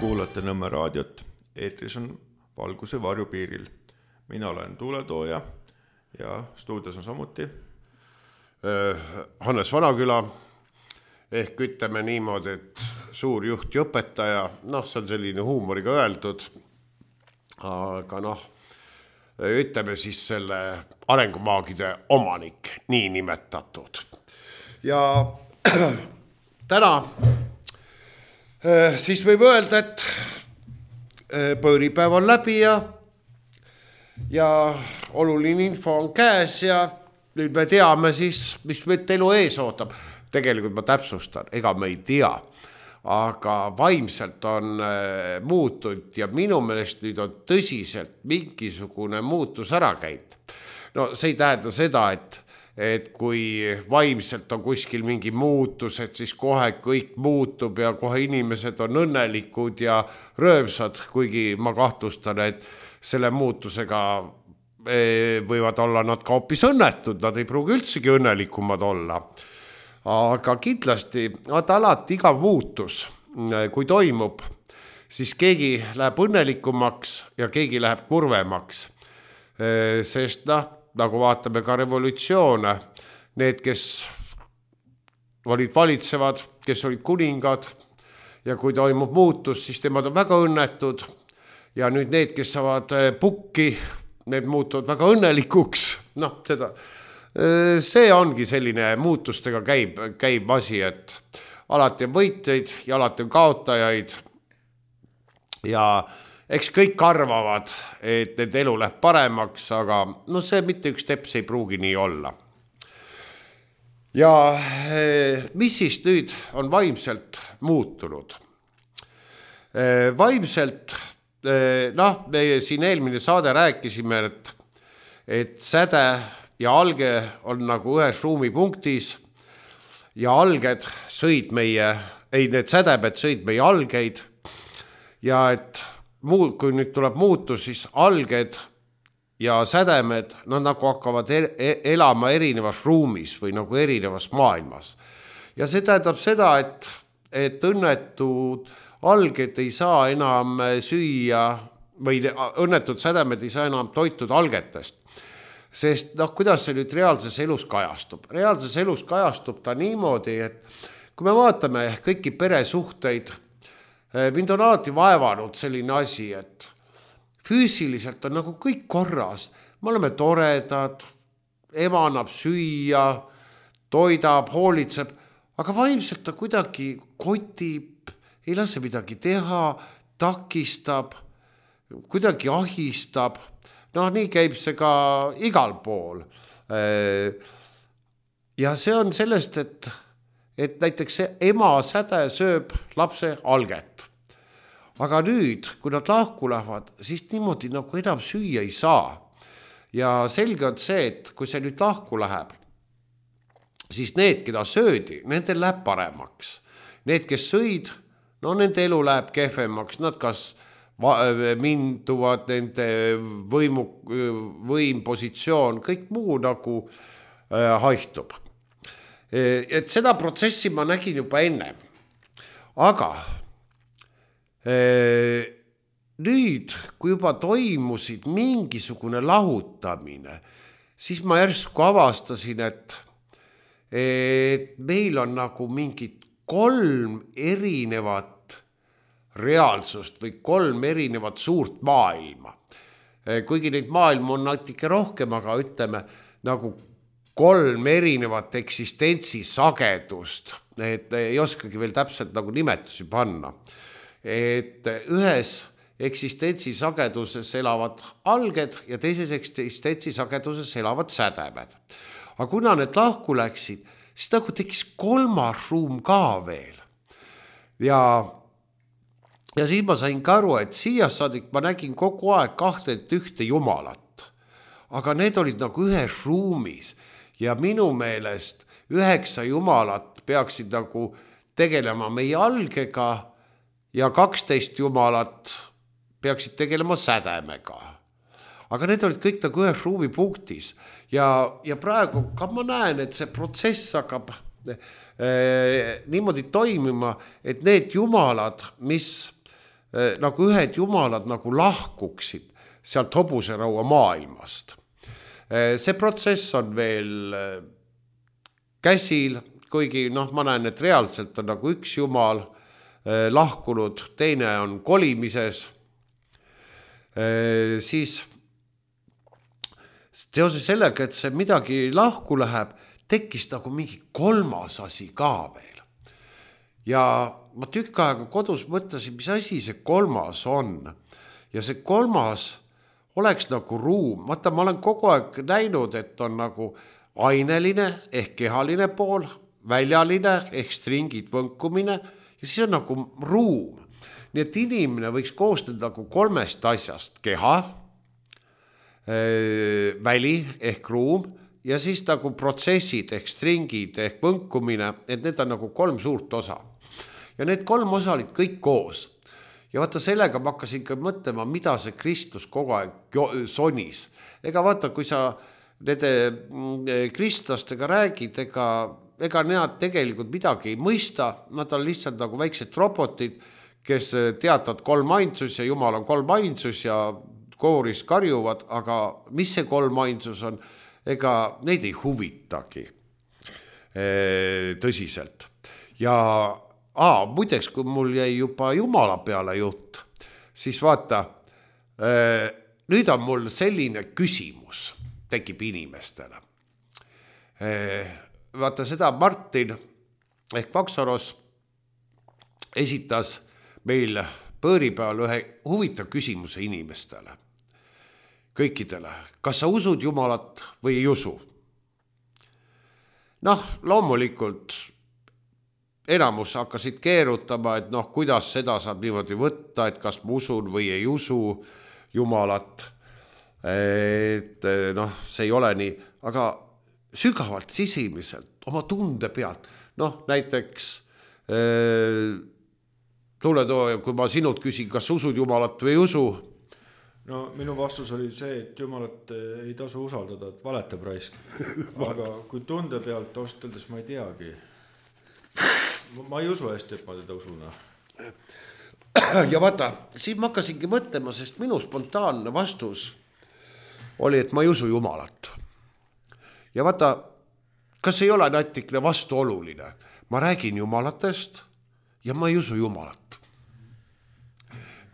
Kuulate Nõmme raadiot, eetris on Valguse varjupiiril. Mina olen tuuletooja ja stuudios on samuti Hannes Vanaküla, ehk ütleme niimoodi, et suur juht ja õpetaja, see on selline huumoriga öeldud, aga ütleme siis selle arengumaagide omanik, nii nimetatud. Ja täna siis võib öelda, et pööripäev on läbi ja oluline info on käes ja nüüd me teame siis, mis meid elu ees ootab. Tegelikult ma täpsustan, ega me ei tea, aga vaimselt on muutunud ja minu meelest nüüd on tõsiselt mingisugune muutus ära käinud. See ei tähenda seda, et kui vaimselt on kuskil mingi muutus, et siis kohe kõik muutub ja kohe inimesed on õnnelikud ja rõõmsad, kuigi ma kahtlustan, et selle muutusega võivad olla nad ka hoopis õnnetud, nad ei pruugi üldsegi õnnelikumad olla. Aga kindlasti alati iga muutus, kui toimub, siis keegi läheb õnnelikumaks ja keegi läheb kurvemaks. Sest nagu vaatame ka revolutsioone, need, kes olid valitsevad, kes olid kuningad ja kui toimub muutus, siis temad on väga õnnetud ja nüüd need, kes saavad pukki, need muutuvad väga õnnelikuks. See ongi selline muutustega käib asi, et alati on võitjaid ja alati on kaotajaid ja eks kõik arvavad, et need elu läheb paremaks, aga see mitte üks teps ei pruugi nii olla. Ja mis siis nüüd on vaimselt muutunud? Vaimselt, me siin eelmine saade rääkisime, et säde ja alge on nagu ühes ruumipunktis ja alged sõid need sädemed sõid meie algeid ja et kui nüüd tuleb muutus, siis alged ja sädemed, nad nagu hakkavad elama erinevas ruumis või nagu erinevas maailmas. Ja see tähendab seda, et õnnetud alged ei saa enam süüa või õnnetud sädemed ei saa enam toitud algetest. Sest kuidas see nüüd reaalses elus kajastub? Reaalses elus kajastub ta niimoodi, et kui me vaatame kõiki peresuhteid, mind on alati vaevanud selline asi, et füüsiliselt on nagu kõik korras. Me oleme toredad, ema annab süüa, toidab, hoolitseb, aga vaimselt ta kuidagi kotib, ei lase midagi teha, takistab, kuidagi ahistab. Nii käib see ka igal pool. Ja see on sellest, et näiteks see ema säde sööb lapse alget. Aga nüüd, kui nad lahku lähevad, siis niimoodi nagu enam süüa ei saa. Ja selge on see, et kui see nüüd lahku läheb, siis need, keda söödi, nendel läheb paremaks. Need, kes sõid, nende elu läheb kehvemaks, nad kas minduvad nende võimpositsioon, kõik muu nagu haihtub. Et seda protsessi ma nägin juba enne. Aga nüüd, kui juba toimusid mingisugune lahutamine, siis ma järsku avastasin, et meil on nagu mingid 3 erinevat reaalsust või 3 erinevat suurt maailma. Kuigi neid maailma on natuke rohkem, aga ütleme nagu 3 erinevat eksistentsi sagedust. Et ei oskagi veel täpselt nagu nimetusi panna. Et ühes eksistentsi sageduses elavad alged ja teises eksistentsi sageduses elavad sädemed. Aga kuna need lahku läksid, siis nagu tekkis 3. ruum ka veel. Ja siis ma sain ka aru, et siia saadik ma nägin kogu aeg 21 jumalat. Aga need olid nagu ühes ruumis ja minu meelest 9 jumalat peaksid nagu tegelema meie algega ja 12 jumalat peaksid tegelema sädemega. Aga need olid kõik nagu ühes ruumipunktis ja praegu ka ma näen, et see protsess hakkab niimoodi toimima, et need jumalad, mis nagu ühed jumalad nagu lahkuksid sealt hobuseraua maailmast. See protsess on veel käsil, kuigi ma näen, et reaalselt on nagu üks jumal lahkunud, teine on kolimises, siis teoses sellega, et see midagi lahku läheb, tekkis nagu mingi kolmas asi ka veel. Ja ma tükk aega kodus mõtlesin, mis asi see kolmas on. Ja see kolmas oleks nagu ruum. Vaata, ma olen kogu aeg näinud, et on nagu aineline ehk kehaline pool, väljaline ehk stringid, võnkumine ja siis on nagu ruum. Nii et inimene võiks koostada nagu kolmest asjast. Keha, väli ehk ruum ja siis nagu protsessid ehk stringid ehk võnkumine, et need on nagu kolm suurt osa. Ja need kolm osa olid kõik koos. Ja vaata, sellega ma hakkasin ka mõtlema, mida see Kristus kogu aeg sonis. Ega vaata, kui sa nende kristlastega räägid, ega need tegelikult midagi ei mõista, nad on lihtsalt nagu väiksed robotid, kes teatavad kolmainsus ja Jumal on kolmainsus ja kooris karjuvad, aga mis see kolmainsus on, ega neid ei huvitagi tõsiselt. Ja muideks, kui mul jäi juba Jumala peale jutt, siis vaata, nüüd on mul selline küsimus, tekib inimestele. Vaata, seda Martin ehk Paksaros esitas meil pööripäeval ühe huvitav küsimuse inimestele. Kõikidele, kas sa usud Jumalat või ei usu? Loomulikult enamus hakkasid keerutama, et kuidas seda saab niimoodi võtta, et kas ma usun või ei usu Jumalat. Et see ei ole nii, aga sügavalt sisemiselt, oma tunde pealt. Näiteks tuletooja, kui ma sinult küsin, kas usud Jumalat või ei usu? Minu vastus oli see, et Jumalat ei tasu usaldada, et valetab raisk. Aga kui tunde pealt osteldes ma ei teagi. Ma ei usu hästi, et ma teda usuna. Ja vaata, siin ma hakkasingi mõtlema, sest minu spontaanne vastus oli, et ma ei usu Jumalat. Ja vaata, kas ei ole natikene vastuoluline? Ma räägin Jumalatest ja ma ei usu Jumalat.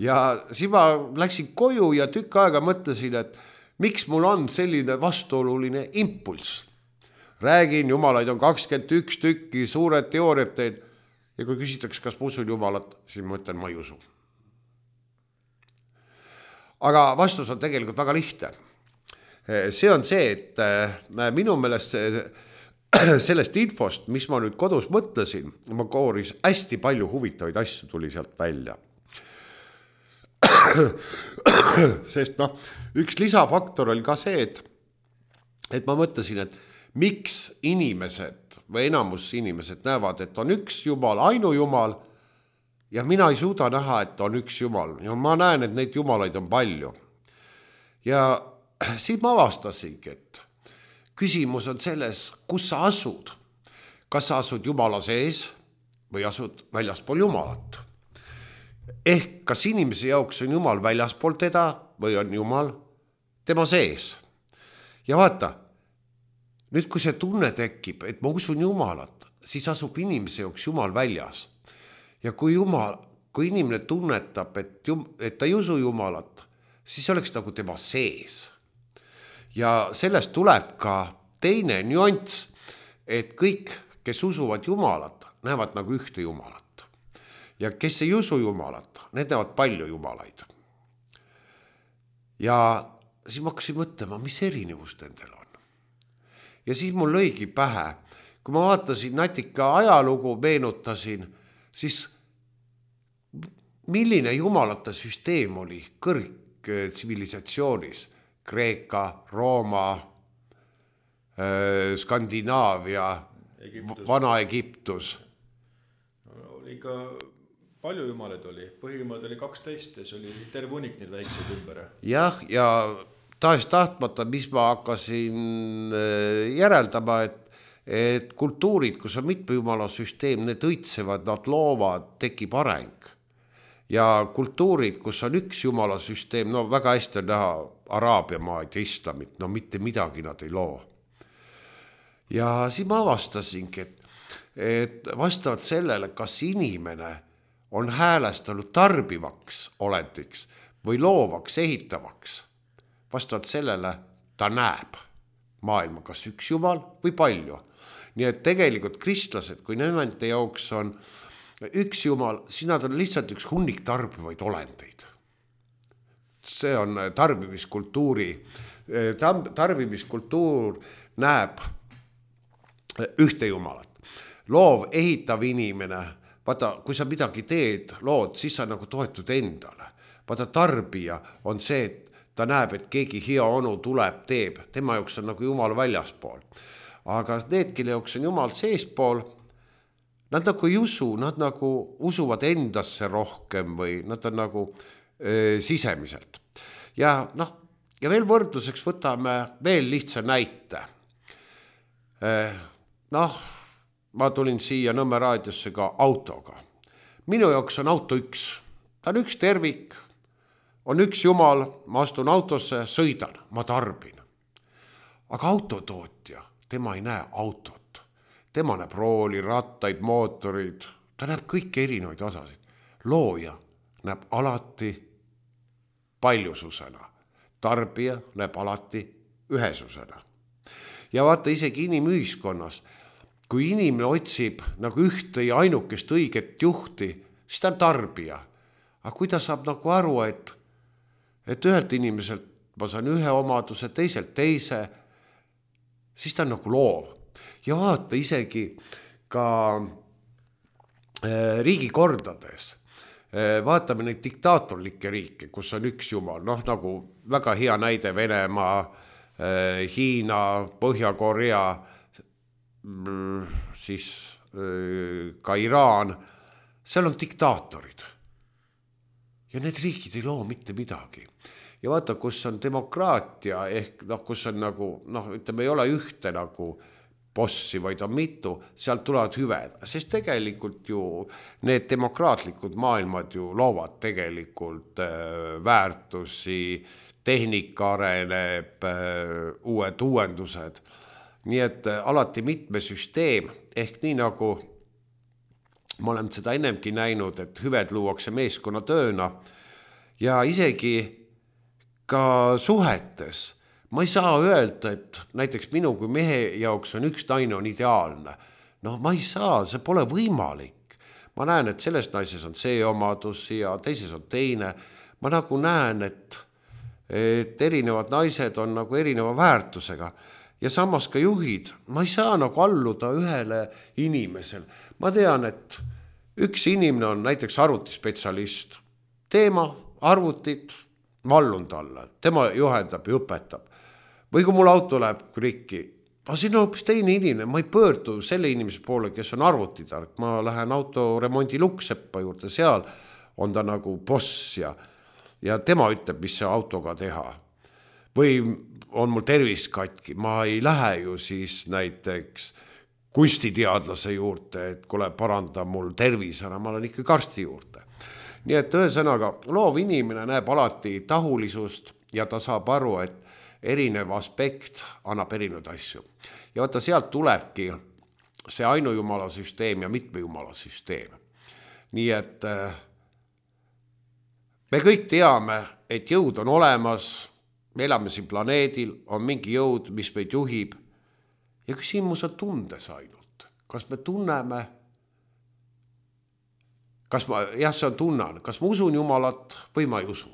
Ja siis ma läksin koju ja tükk aega mõtlesin, et miks mul on selline vastuoluline impulss. Räägin, Jumalaid on 21 tükki, suured teooriad teed. Ja kui küsitakse, kas ma usun Jumalat, siis ma ütlen, ma ei usu. Aga vastus on tegelikult väga lihtne. See on see, et minu meelest sellest infost, mis ma nüüd kodus mõtlesin, ma kooris hästi palju huvitavaid asju tuli sealt välja. Sest üks lisafaktor oli ka see, et ma mõtlesin, et miks inimesed või enamus inimesed näevad, et on üks Jumal, ainujumal ja mina ei suuda näha, et on üks Jumal. Ja ma näen, et neid jumalaid on palju. Ja siis ma avastasingi, et küsimus on selles, kus sa asud. Kas sa asud Jumala sees või asud väljaspool Jumalat? Ehk kas inimese jaoks on Jumal väljaspool teda või on Jumal tema sees? Ja vaata, nüüd kui see tunne tekib, et ma usun Jumalat, siis asub inimese jaoks Jumal väljas. Ja kui inimene tunnetab, et ta ei usu Jumalat, siis oleks nagu tema sees. Ja sellest tuleb ka teine nüanss, et kõik, kes usuvad Jumalat, näevad nagu ühte Jumalat. Ja kes ei usu Jumalat, need näevad palju Jumalaid. Ja siis ma hakkasin mõtlema, mis erinevus nendel on. Ja siis mul lõigi pähe, kui ma vaatasin natika ajalugu, meenutasin, siis milline jumalate süsteem oli kõrgtsivilisatsioonis? Kreeka, Rooma, Skandinaavia, Vana-Egiptus. Oli ka palju jumalaid oli, põhimõtteliselt oli 12 ja see oli terve unik neid väikseid ümber. Jah, ja tahtmata, mis ma hakkasin järeldama, et kultuurid, kus on mitme jumala süsteem, need õitsevad, nad loovad, tekib areng. ja kultuurid, kus on üks jumalasüsteem, no väga hästi on näha Araabia maad ja islamit, no mitte midagi nad ei loo. Ja siis ma avastasingi, et vastavalt sellele, kas inimene on häälestanud tarbivaks olendiks või loovaks, ehitavaks, vastavalt sellele ta näeb maailma kas üks jumal või palju. Nii et tegelikult kristlased, kui nende jaoks on üks jumal, siis nad on lihtsalt üks hunnik tarbivaid olendeid. See on tarbimiskultuur näeb ühte jumalat. Loov, ehitav inimene, vaata, kui sa midagi teed, lood, siis sa nagu toetud endale. Vaata, tarbija on see, et ta näeb, et keegi hea onu tuleb, teeb. Tema jaoks on nagu jumal väljaspool. Aga need, kelle jaoks on jumal seespool, nad nagu ei usu, nad nagu usuvad endasse rohkem või nad on nagu sisemiselt. Ja veel võrdluseks võtame veel lihtsa näite. Ma tulin siia Nõmme raadiosse ka autoga. Minu jaoks on auto üks. Ta on üks tervik, on üks jumal, ma astun autosse, sõidan, ma tarbin. Aga autotootja, tema ei näe autot. Tema näeb rooli, rattaid, mootorid, ta näeb kõiki erinevaid osasid. Looja näeb alati paljususena, tarbija näeb alati ühesusena. Ja vaata isegi inimühiskonnas, kui inimene otsib nagu ühte ja ainukest õiget juhti, siis ta on tarbija. Aga kui ta saab nagu aru, et ühelt inimeselt ma saan ühe omaduse, teiselt teise, siis ta on nagu loov. Ja vaata isegi ka riigikordades, vaatame neid diktaatorlikke riike, kus on üks jumal, nagu väga hea näide Venemaa, Hiina, Põhja-Korea, siis ka Iraan, seal on diktaatorid. Ja need riigid ei loo mitte midagi. Ja vaata, kus on demokraatia, ehk kus on nagu, ütleme, ei ole ühte nagu bossi, vaid on mitu, sealt tulevad hüved. Sest tegelikult ju need demokraatlikud maailmad ju loovad tegelikult väärtusi, tehnika areneb, uued uuendused. Nii et alati mitme süsteem, ehk nii nagu ma olen seda ennemgi näinud, et hüved luuakse meeskonna tööna ja isegi ka suhetes. Ma ei saa öelda, et näiteks minu kui mehe jaoks on üks naine on ideaalne. Ma ei saa, see pole võimalik. Ma näen, et selles naises on see omadus ja teises on teine. Ma nagu näen, et erinevad naised on nagu erineva väärtusega. Ja samas ka juhid, ma ei saa nagu alluda ühele inimesel. Ma tean, et üks inimene on näiteks arvutispetsialist. Teema, arvutit, ma allun talle. Tema juhendab ja õpetab. Või kui mul auto läheb rikki, siin on hoopis teine inimene, ma ei pöördu selle inimese poole, kes on arvutitark, ma lähen autoremondi Lukseppa juurde, seal on ta nagu boss ja tema ütleb, mis see autoga teha. Või on mul tervis katki, ma ei lähe ju siis näiteks kunstiteadlase juurde, et kuule paranda mul tervis ära, ma olen ikka karsti juurde. Nii et ühesõnaga, loov inimene näeb alati tahulisust ja ta saab aru, et erinev aspekt annab erinevaid asju. Ja vaata, sealt tulebki see ainujumalasüsteem ja mitmejumalasüsteem. Nii et me kõik teame, et jõud on olemas, me elame siin planeedil, on mingi jõud, mis meid juhib. Ja küsimus on tundes ainult. Kas me tunneme, see on tunnan, kas ma usun Jumalat või ma ei usu.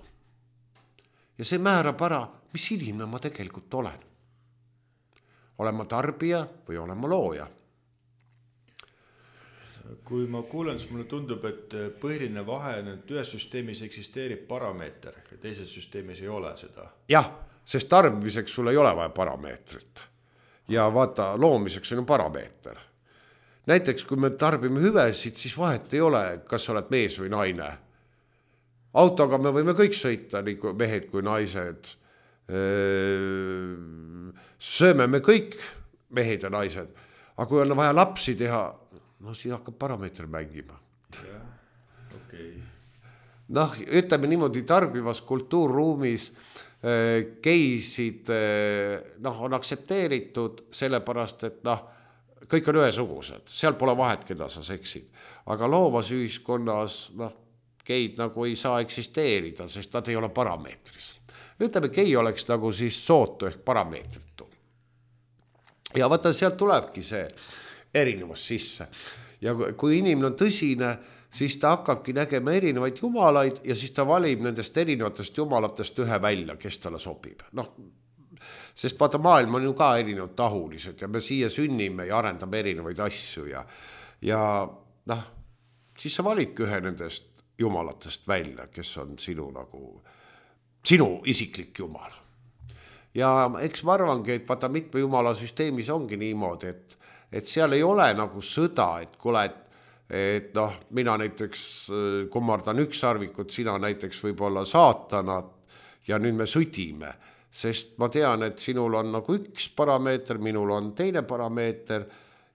Ja see määrab ära, mis inimene ma tegelikult olen. Olen ma tarbija või olen ma looja? Kui ma kuulen, siis mulle tundub, et põhiline vahe on, et ühes süsteemis eksisteerib parameeter ja teises süsteemis ei ole seda. Jah, sest tarbimiseks sul ei ole vaja parameetrit. Ja vaata, loomiseks on ju parameeter. Näiteks, kui me tarbime hüvesid, siis vahet ei ole, kas sa oled mees või naine. Autoga me võime kõik sõita, nii mehed kui naised. Sööme me kõik mehed ja naised. Aga kui on vaja lapsi teha, siis hakkab parameeter mängima. Jah, okei. noh, ütleme niimoodi tarbivas kultuurruumis geisid noh, on aktsepteeritud sellepärast, et noh, kõik on ühesugused, seal pole vahet, keda sa seksid. Aga loovas ühiskonnas noh, geid nagu ei saa eksisteerida, sest nad ei ole parameetris. Ütleme, gei oleks nagu siis sootu ehk parameetritu. Ja vaata, sealt tulebki see erinevus sisse. Ja kui inimene on tõsine, siis ta hakkabki nägema erinevaid jumalaid ja siis ta valib nendest erinevatest jumalatest ühe välja, kes talle sobib. Noh, sest vaata, maailm on ju ka erinevad tahulised ja me siia sünnime ja arendame erinevaid asju ja noh, siis sa validki ühe nendest jumalatest välja, kes on sinu isiklik jumal. Ja eks ma arvangi, et vaata mitme jumala süsteemis ongi niimoodi, et seal ei ole nagu sõda, et kuule, et noh, mina näiteks kummardan ükssarvikut, sina näiteks võib-olla saatanat ja nüüd me sõdime, sest ma tean, et sinul on nagu üks parameeter, minul on teine parameeter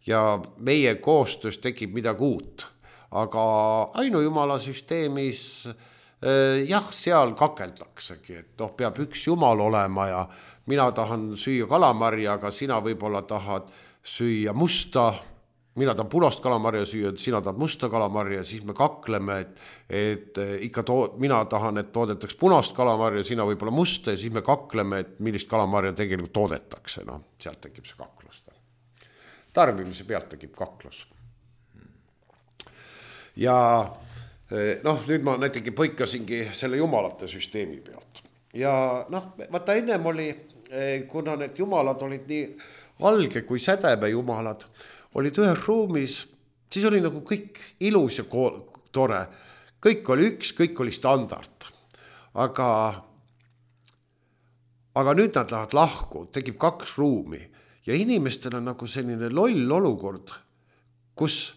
ja meie koostöös tekib midagi uut. Aga ainujumala süsteemis jah, seal kakeldaksegi, et noh, peab üks jumal olema ja mina tahan süüa kalamarja, aga sina võib-olla tahad süüa musta, mina tahan punast kalamarja süüa, sina tahad musta kalamarja, siis me kakleme, et ikka mina tahan, et toodetaks punast kalamarja, sina võib-olla musta ja siis me kakleme, et millist kalamarja tegelikult toodetakse, noh, sealt tekib see kaklus. Tarbimise pealt tekib kaklus. Ja noh, nüüd ma näitegi põikasingi selle jumalate süsteemi pealt. Ja noh, vaata ennem oli, kuna need jumalad olid nii alge kui sädeme jumalad, olid ühes ruumis, siis oli nagu kõik ilus ja tore. Kõik oli üks, kõik oli standard. Aga nüüd nad lähevad lahku, tekib 2 ruumi ja inimestel on nagu selline loll olukord, kus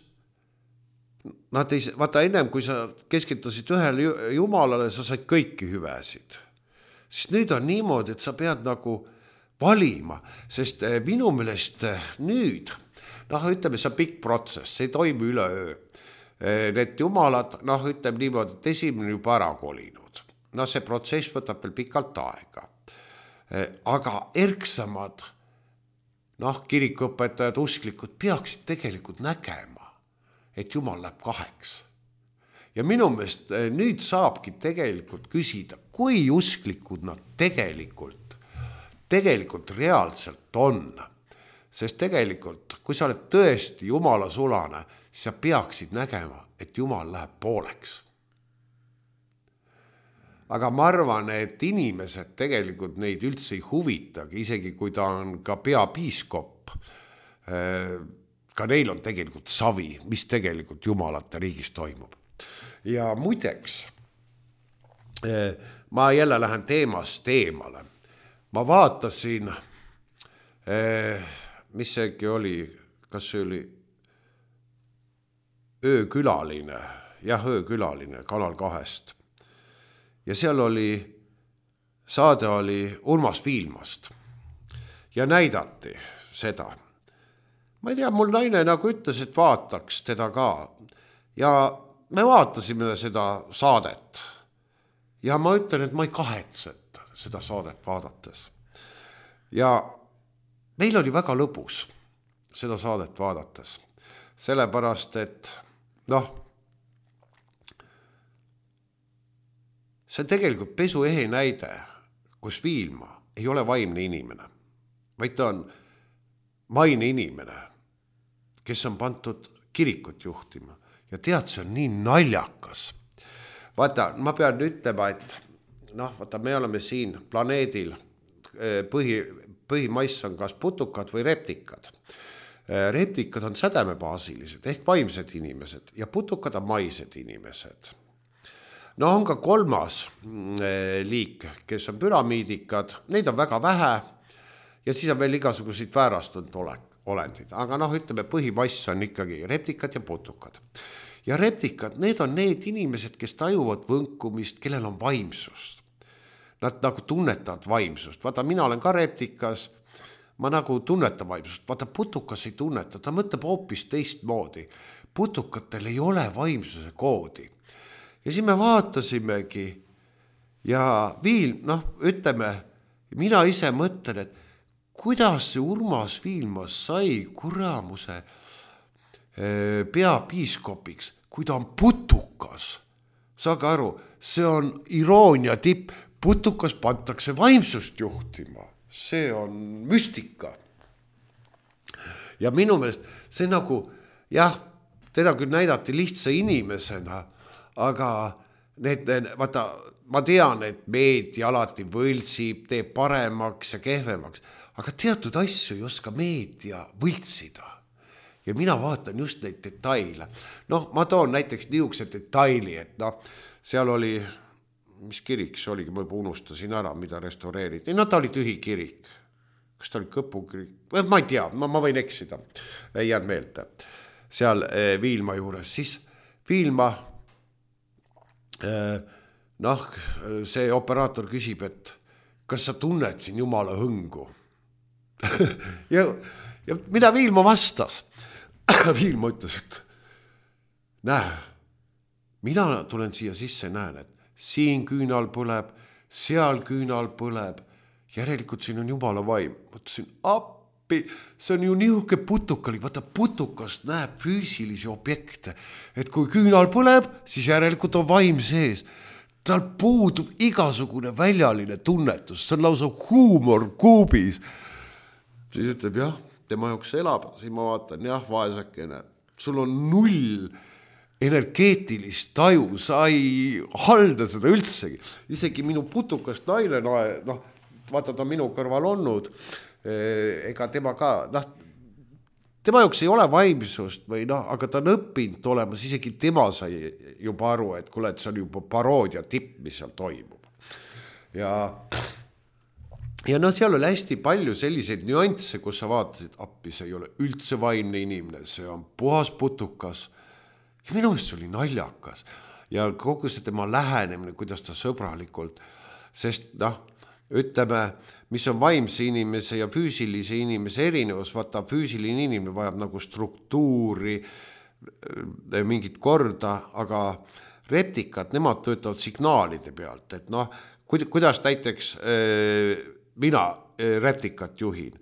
nad ei, vaata ennem, kui sa keskitasid ühele jumalale, sa said kõiki hüvesid. Sest nüüd on niimoodi, et sa pead nagu valima, sest minu meelest nüüd, noh, ütleme, see on pikk protsess, see ei toimi üleöö. Need jumalad, noh, ütleme niimoodi, et esimene juba ära kolinud. No see protsess võtab veel pikalt aega. Aga erksamad, noh, kirikuõpetajad, usklikud peaksid tegelikult nägema, et Jumal läheb 2. Ja minu meelest nüüd saabki tegelikult küsida, kui usklikud nad tegelikult reaalselt on. Sest tegelikult, kui sa oled tõesti Jumala sulane, siis sa peaksid nägema, et Jumal läheb pooleks. Aga ma arvan, et inimesed tegelikult neid üldse ei huvitagi, isegi kui ta on ka peapiiskop, ka neil on tegelikult savi, mis tegelikult jumalate riigis toimub. Ja muideks, ma jälle lähen teemast eemale. Ma vaatasin, mis seegi oli, kas see oli öökülaline, öökülaline Kanal 2. Ja seal oli, saade oli Urmas Viilmast ja näidati seda. Ma ei tea, mul naine nagu ütles, et vaataks teda ka. Ja me vaatasime seda saadet. Ja ma ütlen, et ma ei kahetseta seda saadet vaadates. Ja meil oli väga lõbus seda saadet vaadates. Sellepärast, et noh, see on tegelikult pesuehe näide, kus Viilma ei ole vaimne inimene, vaid ta on maine inimene, kes on pandud kirikut juhtima. Ja tead, see on nii naljakas. Vaata, ma pean ütlema, et noh, vaata, me oleme siin planeedil, põhimaiss on kas putukad või reptikad. Reptikad on sädemebaasilised ehk vaimsed inimesed ja putukad on maised inimesed. No on ka 3. liik, kes on püramiidikad, neid on väga vähe ja siis on veel igasuguseid väärastunud olendid. Aga noh, ütleme, põhimass on ikkagi reptikad ja putukad. Ja reptikad, need on need inimesed, kes tajuvad võnkumist, kellel on vaimsust. Nad nagu tunnetavad vaimsust. Vaata, mina olen ka reptikas, ma nagu tunnetan vaimsust. Vaata, putukas ei tunneta, ta mõtleb hoopis teistmoodi. Putukatel ei ole vaimsuse koodi. ja siis me vaatasimegi ja ütleme, mina ise mõtlen, et kuidas see Urmas Viilmas sai kuramuse peapiiskopiks, kui ta on putukas. Saage aru, see on iroonia tipp, putukas pantakse vaimsust juhtima, see on müstika. Ja minu meelest see nagu, jah, teda küll näidati lihtsa inimesena, aga vaata, ma tean, et meedia alati võltsib, teeb paremaks ja kehvemaks, aga teatud asju ei oska meedia võltsida. Ja mina vaatan just neid detaile. Ma toon näiteks niisuguse detaili, et seal oli, mis kirik see oligi, ma juba unustasin ära, mida restaureeriti. Ta oli tühi kirik. Kas ta oli Kõpu kirik? Ma ei tea, ma võin eksida. Ei jäänud meelde. Seal Viilma juures. Siis Viilma, see operaator küsib, et kas sa tunned siin Jumala hõngu? ja mida Viilma vastas? Viilma ütles, et näe, mina tulen siia sisse, näen, et siin küünal põleb, seal küünal põleb, järelikult siin on Jumala vaim. Mõtlesin, appi, see on ju nihuke putukalik, vaata putukast näeb füüsilisi objekte, et kui küünal põleb, siis järelikult on vaim sees. Tal puudub igasugune väljaline tunnetus, see on lausa huumor kuubis. Siis ütleb, jah, tema jaoks elab, siis ma vaatan, jah, vaesakene, sul on 0 energeetilist taju, sa ei halda seda üldsegi. Isegi minu putukast naine, vaata ta minu kõrval olnud, ega tema ka, tema jaoks ei ole vaimsust või aga ta on õppinud olemas, isegi tema sai juba aru, et kuule, et see on juba paroodia tipp, mis seal toimub. Ja seal oli hästi palju selliseid nüansse, kus sa vaatasid, appi, see ei ole üldse vaimne inimene, see on puhas putukas. Ja minu meelest see oli naljakas. Ja kogu see tema lähenemine, kuidas ta sõbralikult, sest ütleme, mis on vaimse inimese ja füüsilise inimese erinevus, vaata füüsiline inimene vajab nagu struktuuri, mingit korda, aga reptikad, nemad töötavad signaalide pealt, et kuidas näiteks mina reptikat juhin.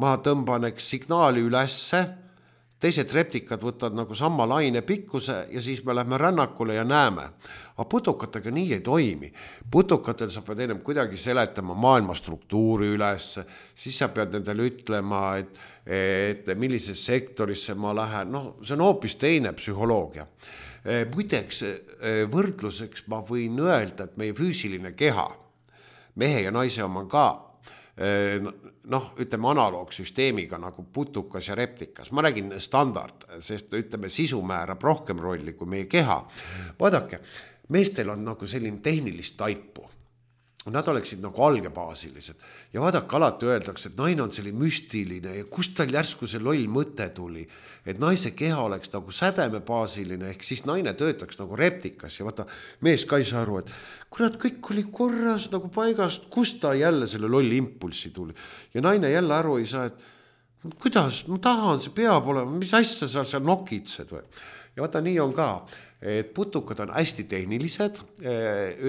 Ma tõmban signaali ülesse, teised reptikad võtavad nagu sama laine pikkuse ja siis me lähme rännakule ja näeme. Aga putukatega nii ei toimi. Putukatel sa pead ennem kuidagi seletama maailma struktuuri ülesse, siis sa pead nendele ütlema, et millises sektorisse ma lähen. See on hoopis teine psühholoogia. Muideks võrdluseks ma võin öelda, et meie füüsiline keha, mehe ja naise oma ka, ütleme analoogsüsteemiga nagu putukas ja reptikas. Ma räägin standard, sest ütleme sisu määrab rohkem rolli kui meie keha. Vaadake, meestel on nagu selline tehnilist taipu. Nad oleksid nagu algebaasilised. Ja vaadake, alati öeldakse, et naine on selline müstiline ja kust tal järsku see loll mõte tuli, et naise keha oleks nagu sädemebaasiline, ehk siis naine töötaks nagu reptikas ja vaata, mees ka ei saa aru, et kurat, kõik oli korras nagu paigast, kust ta jälle selle lolli impulsi tuli. Ja naine jälle aru ei saa, et kuidas, ma tahan, see peab olema, mis asja sa seal nokitsed või. Ja vaata, nii on ka, et putukad on hästi tehnilised,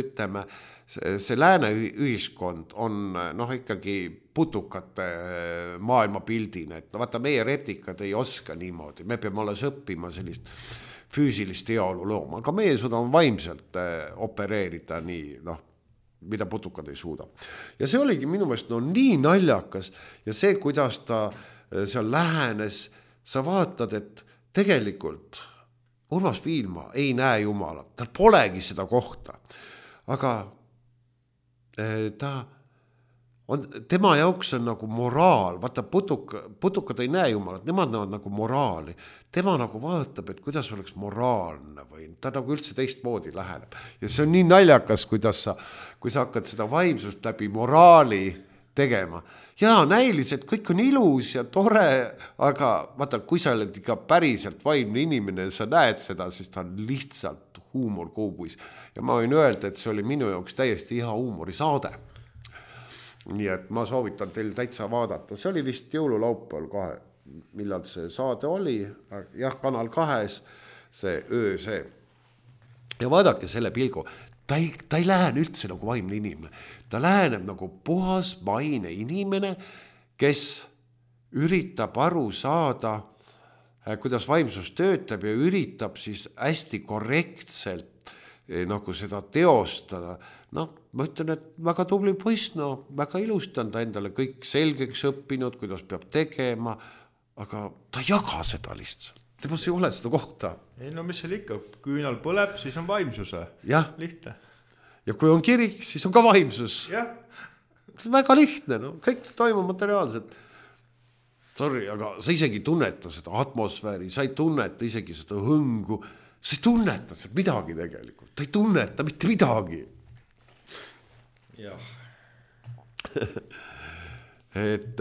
ütleme, see lääne ühiskond on ikkagi putukate maailmapildine, et vaata meie reptikad ei oska niimoodi, me peame alles õppima sellist füüsilist heaolu looma, aga meie suudame vaimselt opereerida nii, mida putukad ei suuda. Ja see oligi minu meelest nii naljakas ja see, kuidas ta seal lähenes, sa vaatad, et tegelikult Urmas Viilma ei näe Jumalat, tal polegi seda kohta, aga tema jaoks on nagu moraal, vaata putukad ei näe Jumalat, nemad näevad nagu moraali, tema nagu vaatab, et kuidas oleks moraalne või ta nagu üldse teistmoodi läheneb ja see on nii naljakas, kui sa hakkad seda vaimsust läbi moraali tegema. Jaa, näiliselt kõik on ilus ja tore, aga vaata, kui sa oled ikka päriselt vaimne inimene ja sa näed seda, siis ta on lihtsalt huumor kuubuis. Ja ma võin öelda, et see oli minu jaoks täiesti hea huumorisaade. Nii et ma soovitan teil täitsa vaadata. See oli vist jõululaupäeval kohe, millal see saade oli. Jah, Kanal 2, see öö see. ja vaadake selle pilgu, ta ei lähene üldse nagu vaimne inimene, ta läheneb nagu puhas maine inimene, kes üritab aru saada, kuidas vaimsus töötab ja üritab siis hästi korrektselt nagu seda teostada. Ma ütlen, et väga tubli poiss, väga ilusti on ta endale kõik selgeks õppinud, kuidas peab tegema, aga ta ei jaga seda lihtsalt. Temas ei ole seda kohta. Ei, mis seal ikka, küünal põleb, siis on vaimsuse. Jah. Lihtne. Ja kui on kirik, siis on ka vaimsus. Jah. Väga lihtne, kõik toimub materiaalselt. Sorry, aga sa isegi tunneta seda atmosfääri, sa ei tunneta isegi seda hõngu, sa ei tunneta seda midagi tegelikult, ta ei tunneta mitte midagi. Jah. Et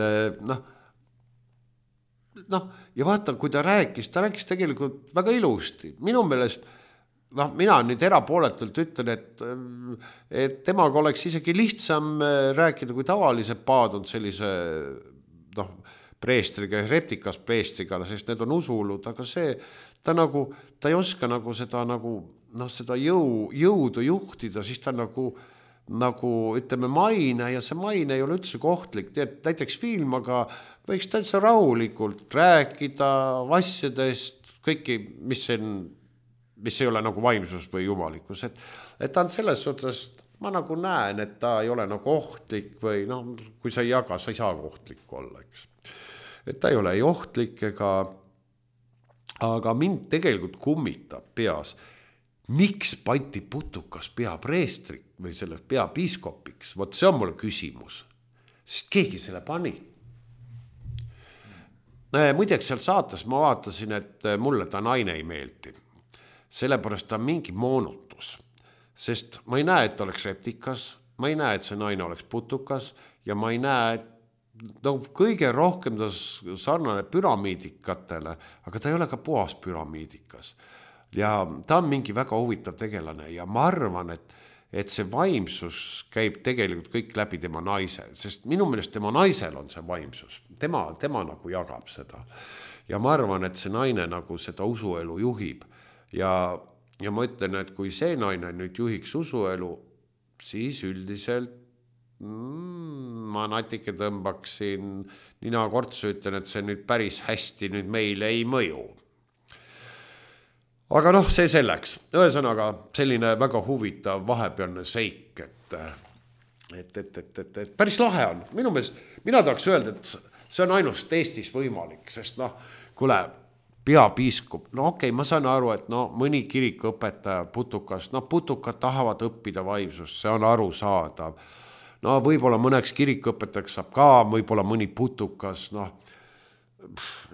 ja vaata, kui ta rääkis tegelikult väga ilusti. Minu meelest, mina nüüd erapooletult ütlen, et temaga oleks isegi lihtsam rääkida, kui tavalise paadund sellise, preestriga, reptikas preestriga, sest need on usulud, aga see, ta ei oska nagu seda seda jõudu juhtida, siis ta nagu ütleme maine ja see maine ei ole üldse kohtlik, näiteks film, aga võiks täitsa rahulikult rääkida asjadest, kõiki, mis ei ole nagu vaimsus või jumalikkus, et ta on selles suhtes, ma nagu näen, et ta ei ole nagu ohtlik või kui sa ei jaga, sa ei saa ohtlik olla, eks. Et ta ei ole ei ohtlik aga mind tegelikult kummitab peas, miks pandi putukas peapreestrik või sellest peapiiskopiks? Vot see on mulle küsimus, sest keegi selle pani. Muideks seal saates ma vaatasin, et mulle ta naine ei meeldi. Sellepärast ta on mingi moonutus, sest ma ei näe, et ta oleks reptikas, ma ei näe, et see naine oleks putukas ja ma ei näe, et kõige rohkem ta sarnane püramiidikatele, aga ta ei ole ka puhas püramiidikas. Ja ta on mingi väga huvitav tegelane ja ma arvan, et see vaimsus käib tegelikult kõik läbi tema naise, sest minu meelest tema naisel on see vaimsus. Tema nagu jagab seda. Ja ma arvan, et see naine nagu seda usuelu juhib. Ja ma ütlen, et kui see naine nüüd juhiks usuelu, siis üldiselt ma natuke tõmbaksin nina kortsu, ütlen, et see nüüd päris hästi nüüd meile ei mõju. Aga see selleks. Ühesõnaga selline väga huvitav vahepealne seik, et päris lahe on. Minu meelest, mina tahaks öelda, et see on ainult Eestis võimalik, sest kuule, peapiiskop, okei, ma saan aru, et mõni kirikuõpetaja putukas, putukad tahavad õppida vaimsust, see on aru saadav. Võib-olla mõneks kirikuõpetajaks saab ka, võib-olla mõni putukas,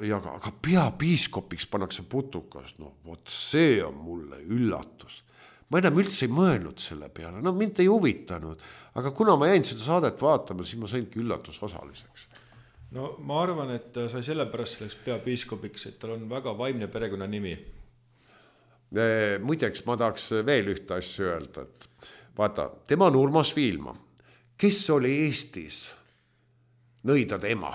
aga peapiiskopiks pannakse putukas, vot see on mulle üllatus. Ma enam üldse ei mõelnud selle peale, mind ei huvitanud, aga kuna ma jäin seda saadet vaatama, siis ma saingi üllatusosaliseks. Ma arvan, et ta sai sellepärast selleks peapiiskopiks, et tal on väga vaimne perekonna nimi. Muideks ma tahaks veel ühte asja öelda, et vaata, tema on Urmas Viilma, kes oli Eestis nõidade ema.